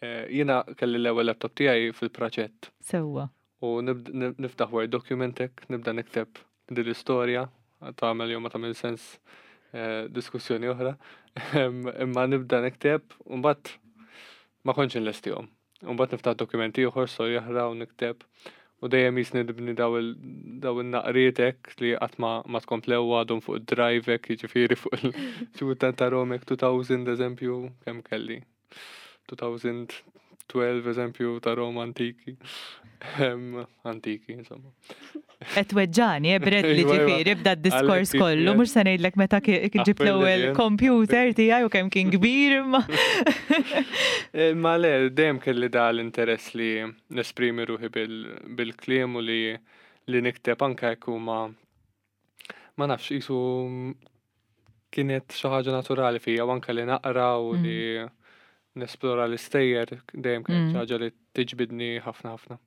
G: Eh, jiena kelli l-ewwel laptop tiegħi fil-praċett.
E: Sewwa.
G: U nibd-, nib-, niftaħ Word document hekk, nibda nikteb din l-istorja, tagħmel jew ma tagħmel sens, eh, diskussjoni oħra. Em, imma nibda nikteb u mbagħad ma kontx inlestihom. U mbagħad niftaħ dokumenti ieħor, storja oħra u nikteb. U dejjem jisni nibni daw il-, daw il-naqriet hekk li qatt ma, ma tkomplew għadhom fuq id-drive hekk, jiġifieri fuq il- xi kultant tarahom hekk two thousand eżempju, kemm kelli. two thousand twelve eżempju ta' Roma antiki. Em, antiki, insomma.
E: Qed weġġani, eh, Bradley,
G: Iva, iva.
E: ġifieri, b'da d-diskors
G: Għalhekk
E: kollu,
G: ġifieri.
E: mhux se ngħidlek meta ki-, kien ġibt
G: Appelli
E: l-ewwel
G: jien.
E: computer tiegħi u kemm kien kbir imma.
G: Eh, ma le, dejjem kelli da l-interess li nesprimi ruħi bil-, bil-kliem u li, li nikteb anke jekk huma ma nafx, qisu kienet xi ħaġa naturali fija, u anke li naqra u
E: Mm.
G: li nesplora l-istejjer dejjem kienet
E: Mm.
G: xi ħaġa li tiġbidni ħafna ħafna.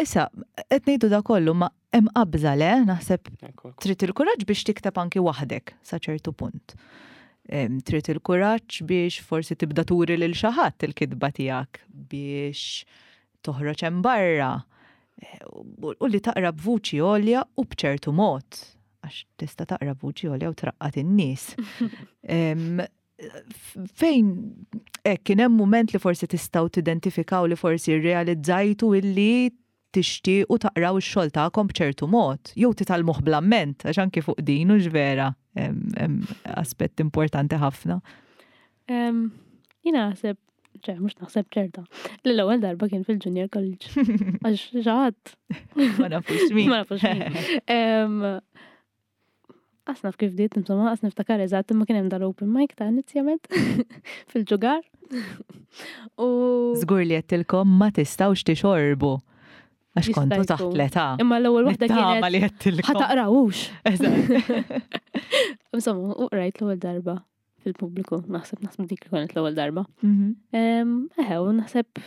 E: Issa, qed ngħidu da kollu ma hemm qabża le, naħseb
G: Ekku, ekku.
E: trid il-kuraġġ biex tikteb anki waħdek sa ċertu punt. Em, Trid il-kuraġġ biex forsi tibda turi lil xi ħadd il-kitba tiegħek biex toħroġ hemm barra. Eh, U u li taqra b'vuċi għolja u b'ċertu mod. Għax tista' taqra b'vuċi għolja u traqqat in-nies. Em, f- Fejn hekk kien hemm mument li forsi tistgħu tidentifikaw li forsi rrealizzajtu illi tixtiequ taqraw ix-xogħol tagħkom b'ċertu mod, jew titgħallmuh bl-amment, għax anki fuq din hux vera hemm hemm aspett importanti ħafna.
F: Em, Jiena naħseb, ċe, mhux naħseb ċerta, li l-ewwel darba kien fil-junior college. Għax xi ħadd
E: Ma nafux min.
F: Ma nafux min. Em, Qas naf kif bdiet, insomma, qas niftakar eżatt, imma kien hemm dal-open mic ta' inizjament fil-ġugar. U
E: Żgur li għedtilkom ma tistgħux tixorbu. Għax
F: Jista'
E: kontu taħt
F: jkun.
E: l-età.
F: Imma l-ewwel waħda
E: Nittama
F: kienet
E: li għedtilkom.
F: ħa taqrawux.
E: Eżatt.
F: Insomma, u qrajt l-ewwel darba fil-pubbliku, naħseb naħseb dik li kienet l-ewwel darba.
E: Mhm,
F: Em, Eħe, u naħseb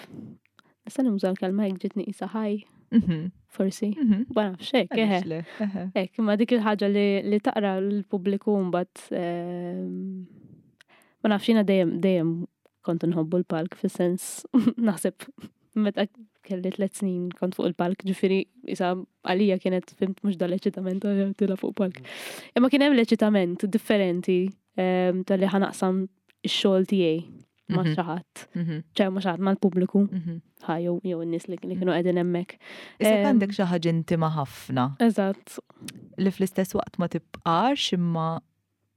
F: nista' nuża l-kelma jekk ġietni qisha ħaj,
E: mhm,
F: forsi.
E: mhm.
F: Ma nafx hekk, eħe.
E: Għaliex le, eħe.
F: Ek, ma dik il-ħaġa li, li taqra l-pubbliku mbagħad ehm, ma nafx jiena dejjem dejjem kont nħobbu l-palk fis-sens naħseb meta kelli tliet snin kont fuq il-palk, ġifieri isa għalija kienet fhimt mhux dal-eċitament eh, tila fuq palk. Imma kien hemm l-eċitament differenti ehm, tal-li ħa naqsam ix-xogħol tiegħi ma'
E: Mhm,
F: xi ħadd,
E: mhm,
F: ċe ma' xi ħadd mal-pubbliku,
E: mhm.
F: ħa jew jew in-nies li li kienu qegħdin hemmhekk.
E: Issa
F: Em,
E: għandek xi ħaġa intima ħafna
F: Eżatt.
E: li fl-istess waqt ma tibqax imma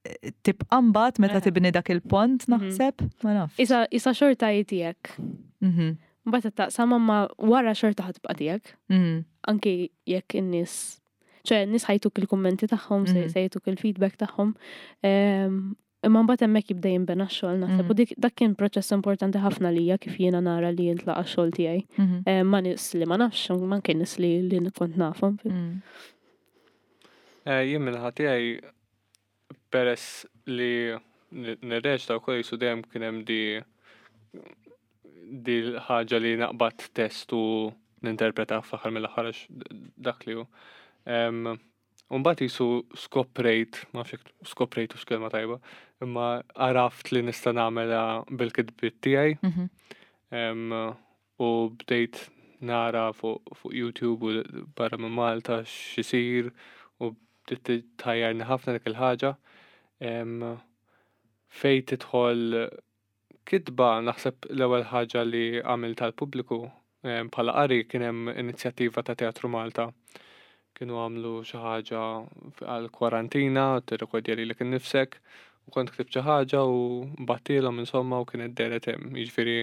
E: eh, tibqa' mbagħad meta
F: Eħe.
E: tibni dak il-pont
F: Mhm.
E: naħseb, ma nafx.
F: Isa isa xorta hi tiegħek.
E: Mhm,
F: Mbagħad taqsam ma wara xorta ħa tibqa' tiegħek.
E: mhm,
F: Anki jekk in-nies ċe n-nies ħa jtuk il-kummenti tagħhom, se
E: Mhm.
F: se jtuk il-feedback tagħhom. Ehm, Imma mbagħad hemmhekk jibda jinbena x-xogħol naħseb.
E: Mhm.
F: U dik dak kien proċess importanti ħafna lija kif jiena nara li jintlaqa' x-xogħol tiegħi.
E: mhm,
F: Ehm, Ma nies li ma nafx, ma kien nies li li kont nafhom.
E: mhm.
G: Eh, Jien min-naħa tiegħi peress li n- nirreċta wkoll jisu dejjem kien hemm di di l-ħaġa li naqbad test u ninterpreta fl-aħħar mill-aħħar għax dak li hu. Em, U mbagħad jisu skoprejt, ma nafx jekk skoprejt hux kelma tajba, imma għaraft li nista' nagħmilha bil-kitbiet tiegħi.
E: Mhm.
G: Em, u bdejt nara fuq fuq YouTube u barra minn Malta x'isir u bdiet tħajjarni ħafna dik il-ħaġa. Em, Fej tidħol kitba naħseb l-ewwel ħaġa li għamilt tal-pubbliku em, bħala qari kien hemm inizjattiva ta' Teatru Malta. Kienu għamlu xi ħaġa għal kwarantina, tirrekordja lilek innifsek u kont ktibt xi ħaġa u bgħattilhom insomma u kienet dehret hemm. Jiġifieri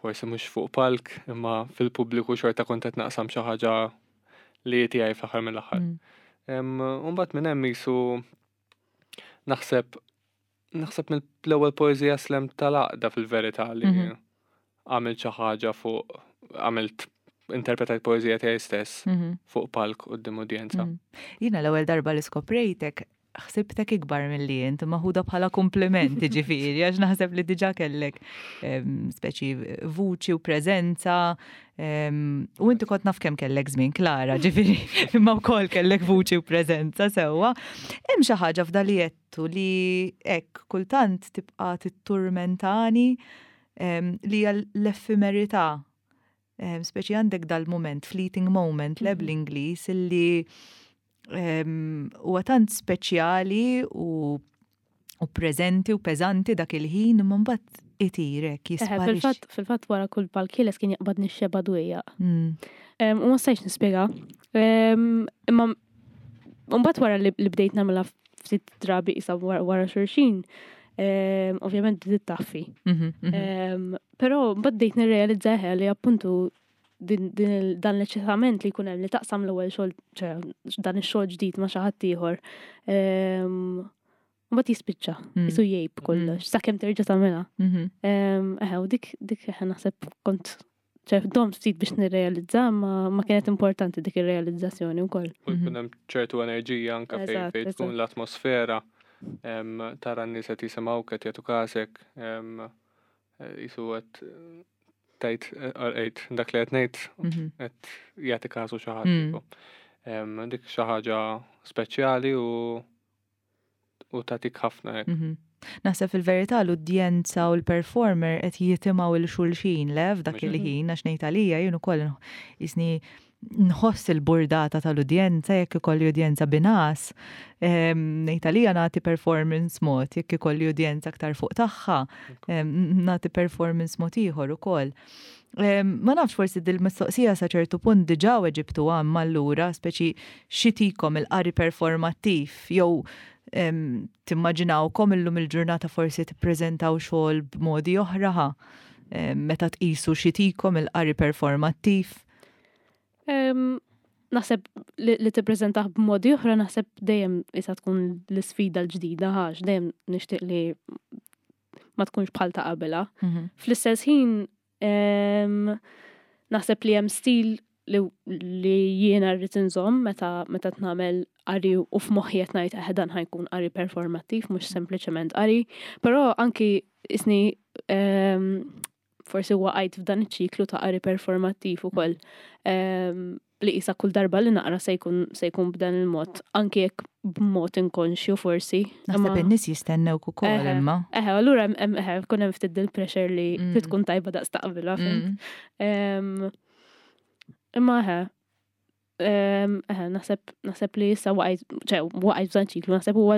G: forsi mhux fuq palk imma fil-pubbliku xorta kont qed naqsam xi ħaġa li tiegħi fl-aħħar mill-aħħar.
E: Mm.
G: Em, U mbagħad minn hemm jisu naħseb naħseb mill-ewwel poeżija slam tal-għaqda fil-verità li
E: Mhm.
G: għamilt xi ħaġa fuq għamilt interpretajt poeżija tiegħi stess
E: Mhm.
G: fuq palk quddiem udjenza.
E: Mm. Jiena l-ewwel darba li skoprejtek ħsibtek ikbar milli int, maħuda bħala kompliment ġifieri, għax naħseb li diġà kellek em, speċi vuċi u preżenza. em, U inti kont naf kemm kellek żmien Klara, ġifieri, imma wkoll kellek vuċi u preżenza sewwa. Hemm xi ħaġa f'da li jettu li hekk kultant tibqa' titturmentani em, li hija l-effemerità. Em, Speċi għandek dal-moment, fleeting moment, le
F: Mhm.
E: bl-Ingliż, illi em, huwa tant speċjali u u preżenti u peżanti dak il-ħin imma mbagħad itirek
F: Eħe,
E: jisparixxi.
F: Fil-fatt fil-fatt wara kull palk ħieles kien jaqbadni x-xeba dwejjaq.
E: Mm.
F: Em, U ma stajtx nispjega. Em, Imma mbagħad wara li li bdejt nagħmilha ftit drabi isa wara wara xulxin, em, ovvjament bdiet taffi.
E: Mhm, mhm.
F: Em, Però mbagħad bdejt nirrealizza eħe li appuntu din, din il- dan l-eċitament li jkun hemm li taqsam l-ewwel xogħol, ċe, dan ix-xogħol ġdid ma' xi ħadd ieħor. em, Mbagħad jispiċċa,
E: Mm.
F: jisu jgħib kollox, sakemm terġa' tagħmilha.
E: Mhm.
F: Em, Eħe, u dik dik eħe naħseb kont ċe domt ftit biex nirrealizza, ma, ma kienet importanti dik ir-realizzazzjoni wkoll.
G: U jkun hemm ċertu enerġija anke fej
F: Eżatt,
G: fej tkun
F: eżatt.
G: l-atmosfera em, tara n-nies qed jisimgħu qed jagħtu każek em, eh, jisu qed Tgħid għid dak li qed ngħid
E: Mhm.
G: qed jagħti każu xi ħadd.
E: Mm.
G: tipo. Em, Dik xi ħaġa speċjali u u tagħtik ħafna hekk.
E: Mhm. Naħseb fil-verità l-udjenza u l-performer qed jitimgħu 'l xulxin le f'dak
G: Mhux
E: il-ħin għax ngħid għalija jien ukoll jisni nħoss il-burdata tal-udjenza jekk ikolli udjenza bin-ngħas. Em, Ngħid għalija nagħti performance mod, jekk ikolli udjenza aktar fuq tagħha, em, nagħti performance mod ieħor ukoll. Em, Ma nafx forsi dil-mistoqsija sa ċertu punt diġà weġibtu għam allura, speċi x'itikom il-qari performattiv jew em, timmaġinawkom illum il-ġurnata forsi tippreżentaw xogħol b'modi oħra ħa, em, meta tqisu x'itikom il-qari performattiv.
F: Em, Naħseb li, li tippreżentah b'modi oħra naħseb dejjem isa tkun l-isfida l-ġdida għax dejjem nixtieq li ma tkunx bħal ta' qabilha. Fl-istess ħin em, naħseb li hemm stil li, li jiena rrid inżomm meta meta nagħmel qari u f'moħħi qed ngħid eh dan ħa jkun qari performattiv mhux sempliċement qari, però anki isni em, forsi waqajt f'dan iċ-ċiklu ta' qari performattiv ukoll. Em, li isa kull darba li naqra se jkun se jkun b'dan il-mod, anki jekk b'mod inkonxju forsi.
E: Naħseb
F: Imma-
E: in-nies jistennewk ukoll
F: Eħe.
E: imma.
F: Eħe, allura hemm- hemm eħe, kun hemm ftit dil-pressure li
E: Mm.
F: trid tkun tajba daqs ta' qabilha, fhimt?
E: Mm.
F: Em, Imma eħe, em, eħe, naħseb naħseb li issa waqajt, ċe, waqajt f'dan ċiklu, naħseb huwa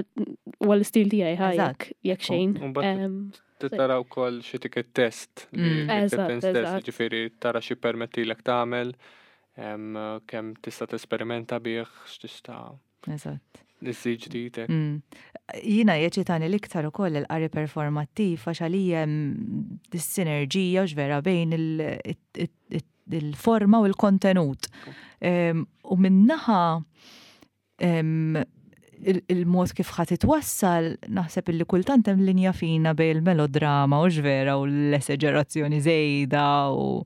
F: huwa l-istil tiegħi ħa
E: Eżatt.
F: jekk jekk xejn.
G: U mbagħad
F: Em,
G: Tara wkoll xi tiket test li
E: Mm.
F: Eżatt,
G: acceptance test,
F: eżatt.
G: ġifieri tara xi permettilek tagħmel, em, kemm tista' tesperimenta bih, x'tista'
E: Eżatt.
G: iżżid ġdid hekk.
E: Mm. Jiena jeċitani l-iktar ukoll il-qari performattiv għax għalija hemm dis-sinerġija u vera bejn il- it- it- il-forma u l-kontenut. Em, U min-naħa em, il- il-mod kif ħa titwassal, naħseb illi kultant hemm linja fina bejn il-melodrama u x'vera u l-esaġerazzjoni żejda u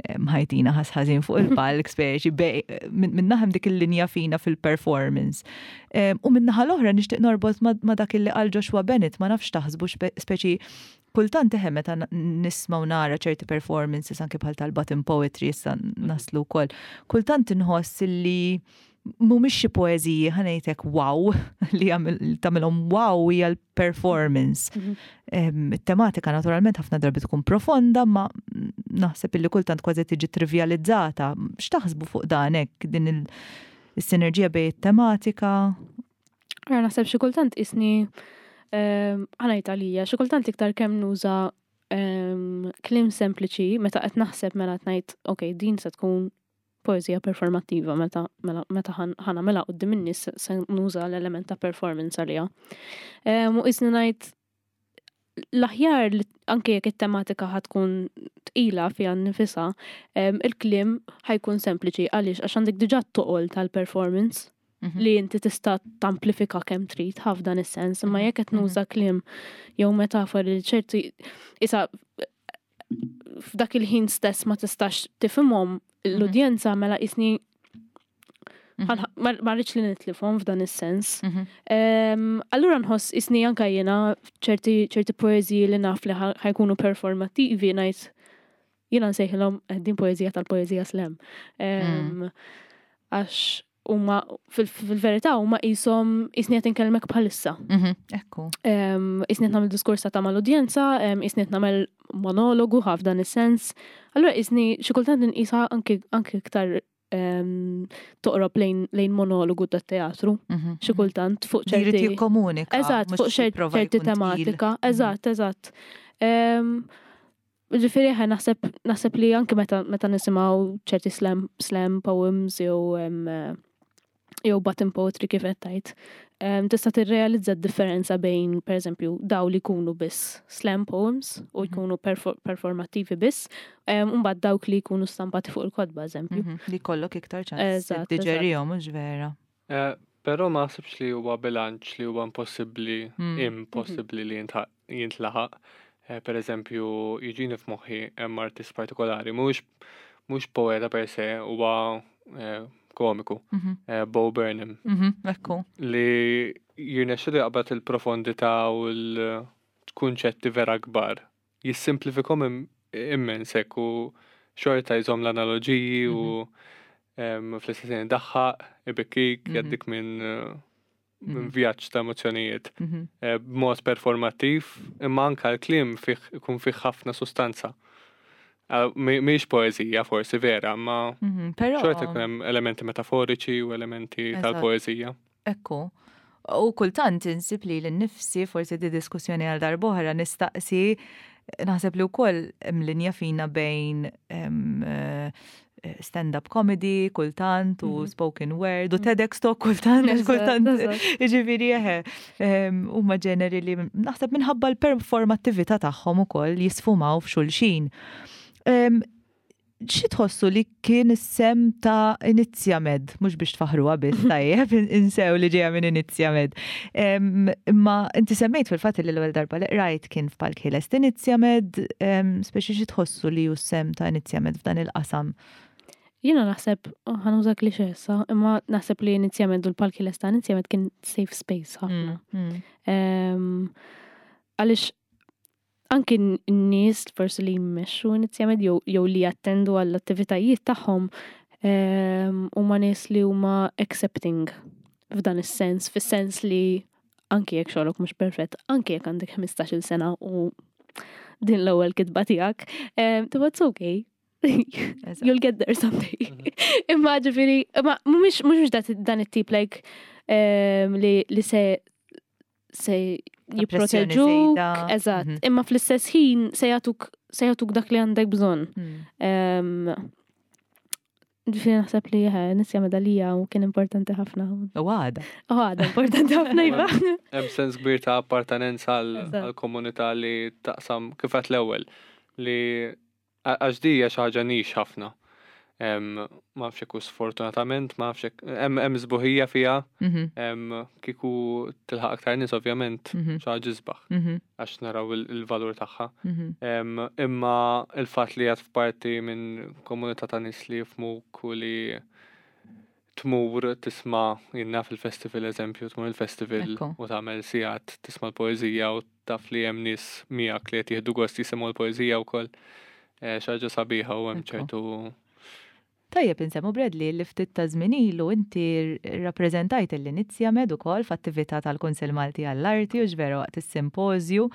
E: em, ħajtina ħasħażin fuq il-palk speċi bej- min min naħa hemm dik il-linja fina fil-performance. Em, U min-naħa l-oħra nixtieq norbot ma ma dak illi qal Joshua Bennett, ma nafx taħsbu xpe- speċi kultant eħe meta n- nisma' u nara ċerti performances anke bħal tal-button poetry issa naslu wkoll. Kultant inħoss illi mhumiex xi poeżiji ħa ngħidlek wow li jagħmel- tagħmilhom wow hija l-performance.
F: Mhm.
E: Em, It-tematika naturalment ħafna drabi tkun profonda, ma naħseb illi kultant kważi tiġi trivializzata. X'taħsbu fuq dan hekk din il- is-sinerġija bejn it-tematika?
F: Ara naħseb xi kultant isni ħa ngħid għalija, xi kultant iktar kemm nuża em, kliem sempliċi meta qed naħseb mela qed ngħid ok, din se tkun poeżija performattiva meta mela meta ħan- ħa nagħmilha quddiem in-nies se nuża l-element ta' performance għaliha. Em, U isni ngħid l-aħjar li anke jekk it-tematika ħa tkun tqila fiha nnifisha, em, il-kliem ħa jkun sempliċi għaliex għax għandek diġà t-toqol tal-performance
E: Mhm.
F: li inti tista' tamplifika kemm trid ħaf dan is-sens, imma
E: Mhm,
F: jekk qed nuża kliem jew metafori li ċerti isa f'dak il-ħin stess ma tistax tifhimhom l-udjenza mela isni
E: Mhm.
F: ħan- ma ma rridx li nitlifhom f'dan is-sens.
E: Mhm.
F: Em, Allura nħoss isni anka jiena ċerti ċerti poeżiji li naf li ħa- ħa jkunu performattivi ngħid jiena nsejħilhom eh, din poeżija tal-poeżija slam. Em, Għax huma fil- fil-verità huma qishom isni qed inkellmek bħalissa.
E: Mhm. Ekku.
F: Em, Isni qed nagħmel diskors ta' mal-udjenza, em, isni qed nagħmel monologu ħaf dan is-sens. Allura isni xi kultant inqisha anke anke iktar em, toqrob lejn lejn monologu tat-teatru.
E: Mhm.
F: Xi kultant fuq
E: Li jrid
F: ċerti
E: jikkomunika.
F: Eżatt,
E: mhux
F: fuq ċer-
E: jipprova
F: ċerti
E: jkun tqil.
F: tematika. Eżatt, eżatt. Em, Ġifieri ħe naħseb naħseb li anke meta meta nisimgħu ċerti slam slam poems jew em, eh, jew button poetry kif qed tgħid, em, tista' tirrealizza d-differenza bejn pereżempju daw li jkunu biss slam poems u jkunu perfor- performattivi biss, em, u mbagħad dawk li jkunu stampati fuq il-kotba eżempju.
E: Mhm. Li kollok iktar ċans
F: Eżatt,
E: tiġerihom, mhux vera.
G: Eh, Però ma naħsibx li huwa bilanċ li huwa impossibbli,
E: Mm.
G: impossibbli li jintħaq- jintlaħaq. Eh, Per eżempju, jiġini f'moħħi hemm artist partikolari, mhux mhux poeta per se, huwa eh, komiku,
E: Mhm.
G: eh, Bo Burnham,
E: Mhm. Ekku.
G: li jirnexxilu jaqbad il-profondità u l-kunċetti vera kbar. Jissimplifikhom im- immens hekk u xorta jżomm l-analoġiji u mhm. fl-istess ħin daħħaq, ibikkik, mhm. jgħaddik minn minn mhm. vjaġġ ta' emozzjonijiet. Eh, b'mod performattiv, imma anka l-kliem fih ikun fih ħafna sustanza. Eh, mhix poeżija forsi vera, ma xorta ikun hemm elementi metaforiċi u elementi tal-poeżija.
E: Ekku. U kultant insib li l-nifsi forsi di diskussjoni għal darb'oħra nistaqsi naħseb li wkoll hemm linja fina bejn eh, stand-up comedy kultant u mhm. spoken word u mhm. TEDx talk kultant, kultant, ġifieri eħe, huma ġeneri li naħseb minħabba l-performattività tagħhom ukoll jisfumaw f'xulxin. Xi tħossu li kien is-sehem ta' Inizjamed, mhux biex tfaħruha biss tajjeb, insew li ġejja minn Inizjamed. Imma inti semmejt fil-fatt li l-ewwel darba li qrajt kien f'Palk Ħieles Inizjamed, speċi xi tħossu li hu s-sehem ta' Inizjamed f'dan il-qasam?
F: Jiena naħseb, ħa nuża cliché issa, imma naħseb li Inizjamed u l-Palk Ħieles ta' Inizjamed kien safe space ħafna. Mm, mm. Għaliex anki n-nies forsi li jmexxu Inizjamed jew li jattendu għall-attivitajiet tagħhom huma nies li huma accepting f'dan is-sens, fis-sens li anki jekk xogħlok mhux perfett, anki jekk għandek ħmistax-il sena u din l-ewwel kitba tiegħek, tibgħat it's okay. You'll get there someday. Mhm. Imma ġifieri, imma mhumiex mhux dan it-tip like li li se se jipproteġuk, eżatt, mhm. imma fl-istess ħin se jagħtuk se jagħtuk dak li għandek bżonn. Mm. Ġifieri naħseb li Inizjamed għalija u kien importanti ħafna.
E: U għada.
F: U għada importanti ħafna iva.
G: Hemm sens kbir ta' appartenenza għall-komunità li taqsam kif għedt l-ewwel li għax di hija xi ħaġa niche ħafna. Ma nafx hekk sfortunatament, ma nafx hekk hemm sbuħija fiha, mhm. kieku tilħaq aktar nies ovvjament mhm. xi ħaġa isbaħ mhm. għax naraw il-valur tagħha. Imma il-fatt li qed f'parti minn komunità ta' nies li jifhmuk u li tmur tisma' jiena fil-festival eżempju, tmur il-festival u tagħmel sigħat tisma' l-poeżija u taf li hemm nies miegħek li qed jieħdu gost jisimgħu l-poeżija wkoll. Eh, xi ħaġa sabiħa u hemm ċertu
E: Tajjeb insemmu Bradley li ftit ta' żmien ilu inti rrappreżentajt l-Inizjamed ukoll f'attività tal-Kunsill Malti għall-Arti u x'vera waqt is-simpożju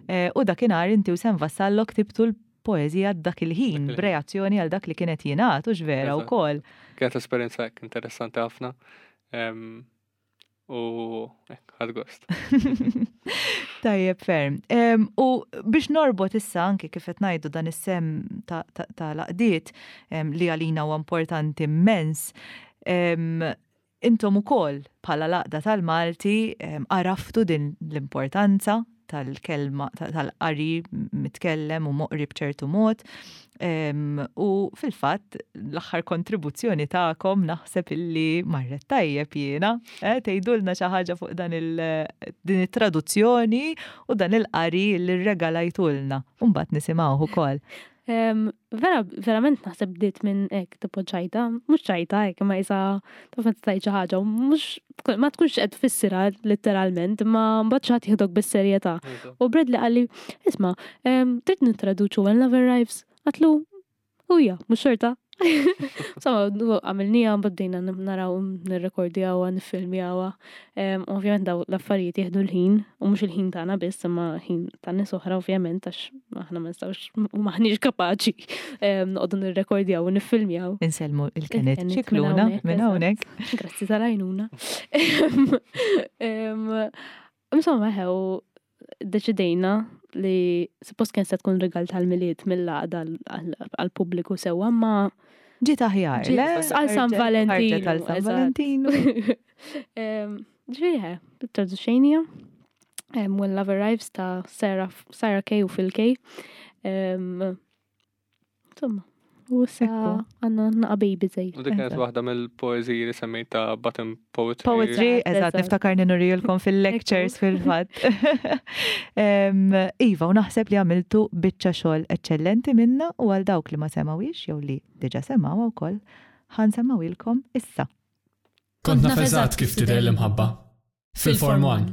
E: eh, u dakinhar inti u Sam Vassallo ktibtu l-poeżija dak il-ħin b'reazzjoni għal dak li kienet jingħad u x'vera wkoll.
G: Kienet esperjenza hekk interessanti ħafna. U hekk ħadt gost.
E: Tajjeb ferm. U biex norbot issa anki kif qed ngħidu dan is-sehem tal-għaqdiet li għalina huwa importanti immens, intom ukoll bħala l-Għaqda tal-Malti għaraftu din l-importanza tal-kelma tal-qari mitkellem u moqri b'ċertu mod. U fil-fatt l-aħħar kontribuzzjoni tagħkom naħseb illi marret tajjeb jiena, eh, tgħidulna xi ħaġa fuq dan il din it-traduzzjoni u dan il-qari li rregalajtulna. U mbagħad nisimgħuh ukoll.
F: Vera, verament naħseb bdiet minn hekk tipo ċajta, mhux ċajta hekk, imma isa taf meta tgħid xi ħaġa u mhux ma tkunx qed tfissirha letteralment, imma mbagħad xi ħadd jieħdok bis-serjetà. U Bradley qalli, isma', trid nittraduċu When Love Arrives? Għedtlu, u ja, mhux xorta. Insomma, għamilnieha, mbagħad bdejna naraw nirrekordjawha, niffilmjawha. Ovvjament daw l-affarijiet jieħdu l-ħin, u mhux il-ħin tagħna biss, imma ħin ta' nies oħra ovvjament għax aħna ma nistgħux u maħniex kapaċi noqogħdu nirrekordjaw u niffilmjaw.
E: Insellmu il-Kenneth Ċikluna minn hawnhekk.
F: Grazzi tal-għajnuna. Insomma, ħew deċidejna li suppost kien se tkun rigal tal-Milied mill-għaqda għal-pubbliku sewwa, ma
E: Ġiet aħjar, le?
F: Għal San Valentino.
E: Għal San Valentino.
F: Ġifieri ħe, traduċejnija. When Love Arrives ta' Sarah, Sarah Kay u Phil Kay. Insomma, u issa għandna naqa baby zej.
G: U dik kienet waħda mill-poeżiji li semmejt ta' Button Poetry.
E: Poetry, eżatt, niftakar nurijilkom fil-lectures fil-fatt. Iva, u naħseb li għamiltu biċċa xogħol eċċellenti minna u għal dawk li ma semawix jew li diġa semaw wkoll ħa nsemmgħuhielkom issa.
J: Kont naf eżatt kif tidher l-imħabba. Fil-Form One.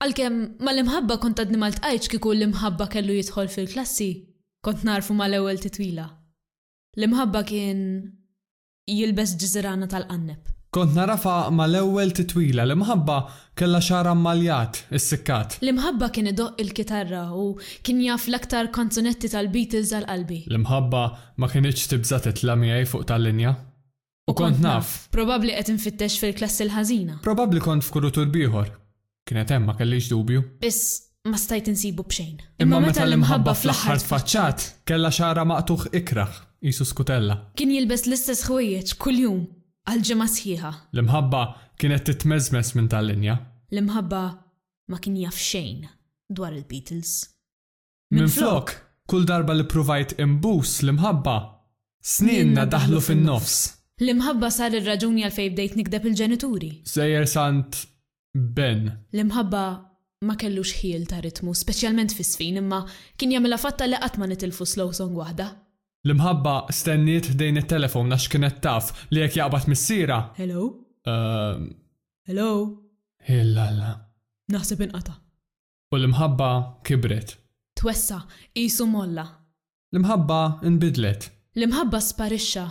K: Għalkemm mal-imħabba kont għadni ma ltqajtx kieku l-imħabba kellu jidħol fil-klassi. Kont nagħrfu mal-ewwel titwila. L-imħabba kien jilbes ġiżirana tal-qanneb.
G: Kont nagħrafha mal-ewwel titwila, l-imħabba kellha xagħarha mmaljat, issikkat.
K: L-imħabba kien idoqq il-kitarra u kien jaf l-aktar kanzunetti tal-Beatles għal qalbi.
G: L-imħabba ma kinitx tibża' titla' miegħi fuq tal-linja. U kont naf.
K: Probabbli qed infittex fil-klassi l-ħażina.
G: Probabbli kont f'kurutur b'ieħor. Kienet hemm ma kellix dubju.
K: Biss ma stajt insibu b'xejn.
G: Imma meta l-imħabba fl-aħħar tfaċċat, kellha xagħarha maqtugħ ikrah, qisu skutella.
K: Kien jilbes l-istess ħwejjeġ kuljum għal ġimgħa sħiħa.
G: L-imħabba kienet titmeżmeż minn tal-linja.
K: L-imħabba ma kien jaf xejn dwar il-Beatles.
G: Minflok, kull darba li ppruvajt inbus l-imħabba, snienna daħlu fin-nofs.
K: L-imħabba sar ir-raġuni għalfejn bdejt nikdeb il-ġenituri.
G: Sejjer sant Ben.
K: L-imħabba ma kellux ħiel ta' ritmu, speċjalment fis-sfin, imma kien jagħmilha fatta li qatt ma nitilfu slow song waħda.
G: L-imħabba stenniet ħdejn it-telefon għax kienet taf li jekk jaqbad missierha.
K: Hello?
G: Ehm.
K: Hello?
G: Illalla.
K: Naħseb inqata'.
G: U l-imħabba kibret.
K: Twessa', qisu molla.
G: L-imħabba nbidlet.
K: L-imħabba sparixxa.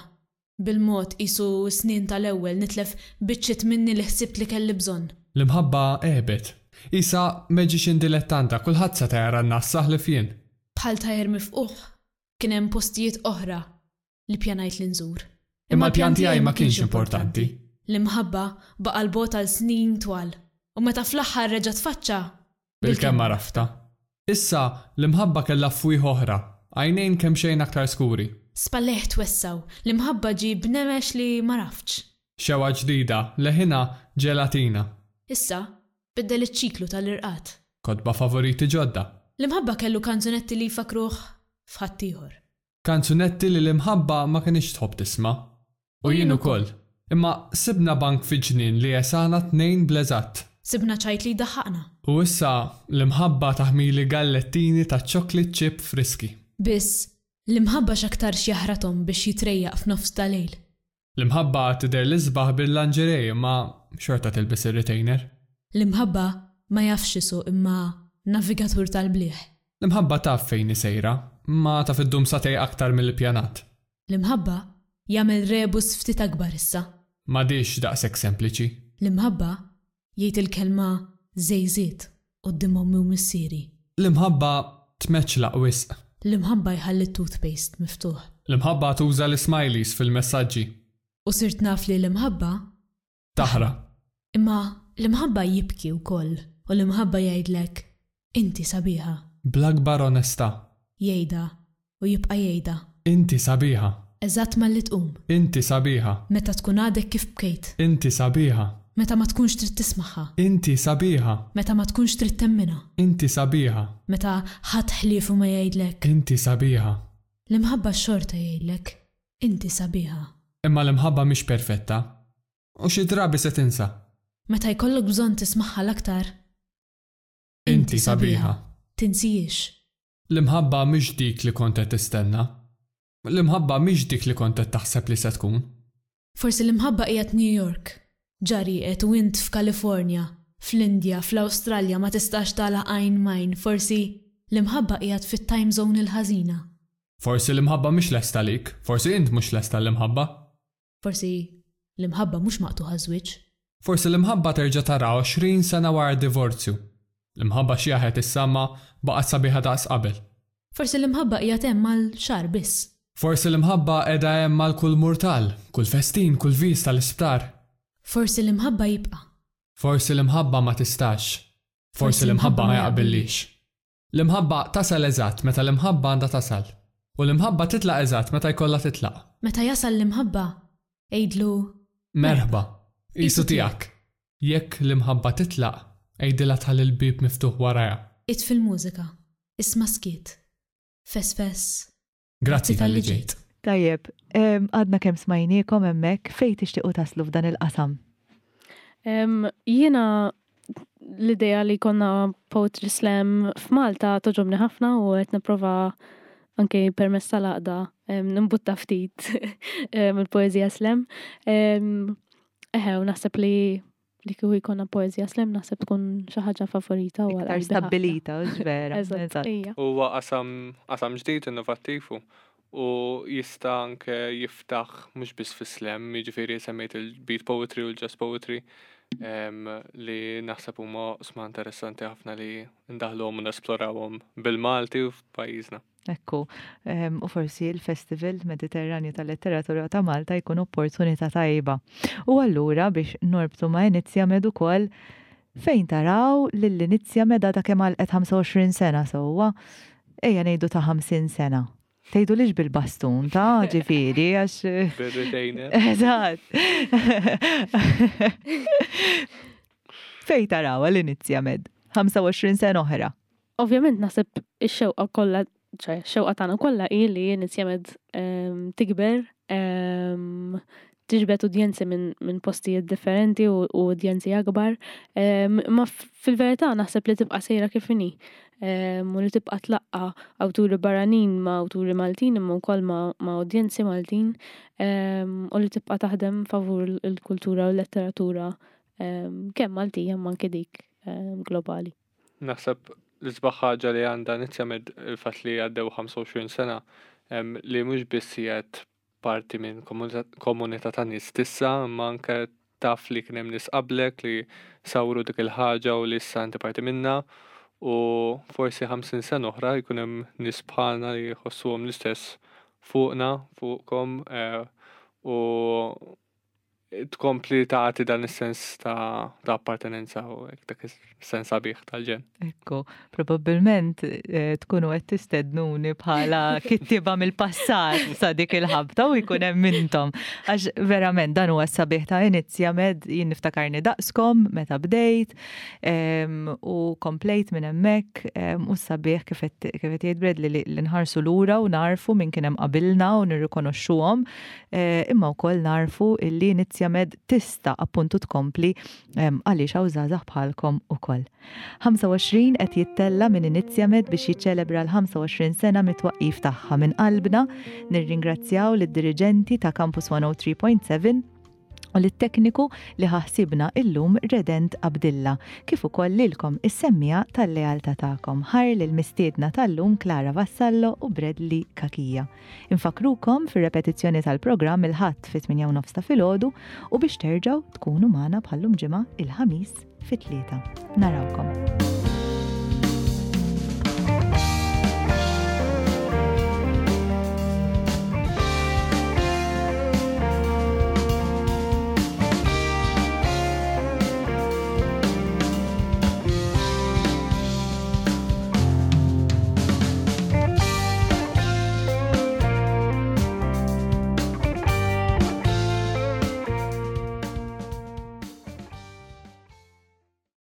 K: Bil-mod qisu s-snin tal-ewwel nitlef biċċiet minni li ħsibt li kelli bżonn.
G: L-imħabba għebet. Qisha magician dilettanta, kulħadd seta' jara n-nassa ħlief jien.
K: Bħal tajer mifqugħ, kien hemm postijiet oħra li pjanajt li nżur.
G: Imma l-pjan tiegħi ma kienx importanti.
K: L-imħabba baqa' l-bogħod għal snin twal. U meta fl-aħħar reġa' tfaċċa.
G: Bilkemm għaraftha. Issa l-imħabba kellha fwieħ oħra, għajnejn kemxejn aktar skuri.
K: Spallejh twessaw, l-imħabba ġie b'nemex li ma raftx.
G: Xewqa ġdida, leħinha ġelatina.
K: Issa, biddel iċ-ċiklu tal-irqad.
G: Kotba favoriti ġodda.
K: L-imħabba kellu kanzunetti li jfakruh f'ħaddieħor.
G: Kanzunetti li l-imħabba ma kinitx tħobb tisma'. U jien ukoll. Imma sibna bank fi ġnien li jesana tnejn bl-eżatt.
K: Sibna ċajt li jdaħħaqna.
G: U issa l-imħabba taħmili gallettini ta' chocolate chip friski.
K: Biss, l-imħabba x'aktarx jaħrathom biex jitrejjaq f'nofs ta' lejl.
G: L-imħabba tidher l-isbaħ bil-lingerie imma xorta tilbes ir-retainer.
K: L-imħabba ma jafx isuq imma navigatur tal-bliħ.
G: L-imħabba taf fejn hi sejra, imma taf iddum sagħtejn aktar mill-ippjanat.
K: L-imħabba jagħmel rebus ftit akbar issa.
G: M'għadhiex daqshekk sempliċi.
K: L-imħabba jgħid il-kelma żejżiet quddiem ommi u missieri.
G: L-imħabba tmeċlaq wisq.
K: L-imħabba jħalli t-toothpaste miftuħ.
G: L-imħabba tuża l-smileys fil-messaġġi.
K: U sirt naf li l-imħabba
G: taħra.
K: Imma l-imħabba jibki wkoll u l-imħabba jgħidlek inti sabiħa.
G: Bl-akbar onestà.
K: Jgħidha u jibqa' jgħidha.
G: Inti sabiħa.
K: Eżatt malli tqum.
G: Inti sabiħa.
K: Meta tkun għadek kif bkejt.
G: Inti sabiħa.
K: Meta ma tkunx trid tismagħha.
G: Inti sabiħa.
K: Meta ma tkunx trid temminha.
G: Inti sabiħa.
K: Meta ħadd ħliefu ma jgħidlek.
G: Inti sabiħa.
K: L-imħabba xorta jgħidlek. Inti sabiħa.
G: Imma l-imħabba mhix perfetta. U xi drabi se tinsa.
K: Meta jkollok bżonn tismagħha l-aktar.
G: Inti sabiħa.
K: Tinsijiex.
G: L-imħabba mhix dik li kont qed tistenna. L-imħabba mhix dik li kont qed taħseb li se tkun.
K: Forsi l-imħabba qiegħed New York. Ġari qed u int f'Kalifornja, fl-Indja, fl-Awstralja ma tistax tagħlaq għajn m'għajn. Forsi l-imħabba qiegħed fit-time zone il-ħażina.
G: Forsi l-imħabba mhix lesta għalik, forsi int mhux lesta l-imħabba.
K: Forsi l-imħabba mhux maqtuħa żwieġ.
G: Forsi l-imħabba terġa' tara għoxrin sena wara d-divorzju. L-imħabba xjaħet issa ma baqgħet sabiħa daqs qabel.
K: Forsi l-imħabba qiegħed hemm għal xahar biss.
G: Forsi l-imħabba qiegħda hemm għal kull murtal, kull festin, kull viż tal-isptar.
K: Forsi l-imħabba jibqa'.
G: Forsi l-imħabba ma tistax. Forsi l-imħabba ma jaqbillix. L-imħabba tasal eżatt meta l-imħabba għandha tasal. U l-imħabba titlaq eżatt meta jkollha titlaq.
K: Meta jasal l-imħabba, għidlu
G: merħba, qisu tiegħek. Jekk l-imħabba titlaq, għidilha tħalli l-bieb miftuħ warajha.
K: Itfi l-mużika, isma' skiet. Fes fes.
G: Grazzi talli ġejt.
E: Tajjeb, għadna kemm smajniekom hemmhekk, fejn tixtiequ taslu f'dan il-qasam?
F: Jiena l-idea li konna Poetry Slam f'Malta toġobni ħafna u qed nipprova anke permezz tal-għaqda nimbutta ftit il-poeżija slam. Eħe, u naħseb li li kieku jkollna poeżija slam naħseb tkun xi ħaġa favorita u
E: Iktar stabbilita, hux vera.
F: Eżatt, ija.
G: Huwa qasam qasam ġdid innovattiv u u jista' anke jiftaħ mhux biss fis-slam, jiġifieri semmejt il-beat poetry u l-jazz poetry em, li naħseb huma oqsma interessanti ħafna li ndaħluhom u nesplorawhom bil-Malti u f'pajjiżna.
E: Ekku, em, u forsi il-Festival Mediterranju tal-Letteratura ta' Malta jkun opportunità tajba. U allura biex norbtu ma' Inizjamed ukoll fejn taraw lill-Inizjamed għadha kemm għalqet ħamsa u għoxrin sena sewwa, ejja ngħidu ta' ħamsin sena. Tgħidu lix bil-bastun ta' ġifieri għax.
G: Bir-retainer.
E: Eżatt. Fejn taraw l-Inizjamed? ħamsa u għoxrin sena oħra.
F: Ovvjament naħseb ix-xewqa kollha, ċe, x-xewqa tagħna kollha hi li Inizjamed em, tikber, em, tiġbed udjenzi minn min postijiet differenti u, u udjenzi akbar. Em, Ma fil-verità naħseb li tibqa' sejra kif inhi. Em, U li tibqa' tlaqqa awturi barranin ma' awturi Maltin imma wkoll ma', ma' udjenzi Maltin em, u li tibqa' taħdem favur il-kultura u l-letteratura em, kemm Maltija imma anke dik em, globali.
G: Naħseb l-isbaħ ħaġa li għandha Inizjamed il-fatt li għaddew ħamsa u għoxrin sena em, li mhux biss qiegħed parti minn komunità komunità ta' nies tissa, imma anke taf li kien hemm nies qablek li sawru dik il-ħaġa u li issa inti parti minnha u forsi ħamsin sena oħra jkun hemm nies bħalna li jħossuhom l-istess fuqna, fuqkom eh, u tkompli tagħti dan is-sens ta' ta' appartenenza u hekk dak is-sens sabiħ tal-ġen.
E: Ekku, probabbilment eh, tkunu qed tistednuni bħala kittiba mill-passat sa dik il-ħabta u jkun hemm intom. Għax verament dan huwa s-sabiħ ta' Inizjamed, jien niftakarni daqskom meta bdejt em, u komplejt minn hemmhekk em, u s-sabiħ kif qed kif qed jgħid Bradley li li nħarsu lura u narfu min kien hemm qabilna u nirrikonoxxuhom, eh, imma wkoll narfu illi Inizjamed tista' appuntu tkompli em, għaliex hawn żgħażagħ bħalkom ukoll. ħamsa u għoxrin qed jittella minn Inizjamed biex jiċċelebra l-ħamsa u għoxrin sena mit-twaqqif tagħha. Minn qalbna nirringrazzjaw lid-diriġenti ta' Campus mija u tlieta punt seba u lit-tekniku li ħassibna illum Redent Abdilla, kif ukoll lilkom is-semmiegħa tal-lealtà tagħkom. Ħajr lill-mistiedna tal-lum Clara Vassallo u Bradley Cachia. Infakrukom fir-repetizzjoni tal-programm il-Ħadd fit-tmienja u nofs ta' filgħodu u biex terġgħu tkunu magħna bħallum ġimgħa il-Ħamis fit-tlieta. Narawkom.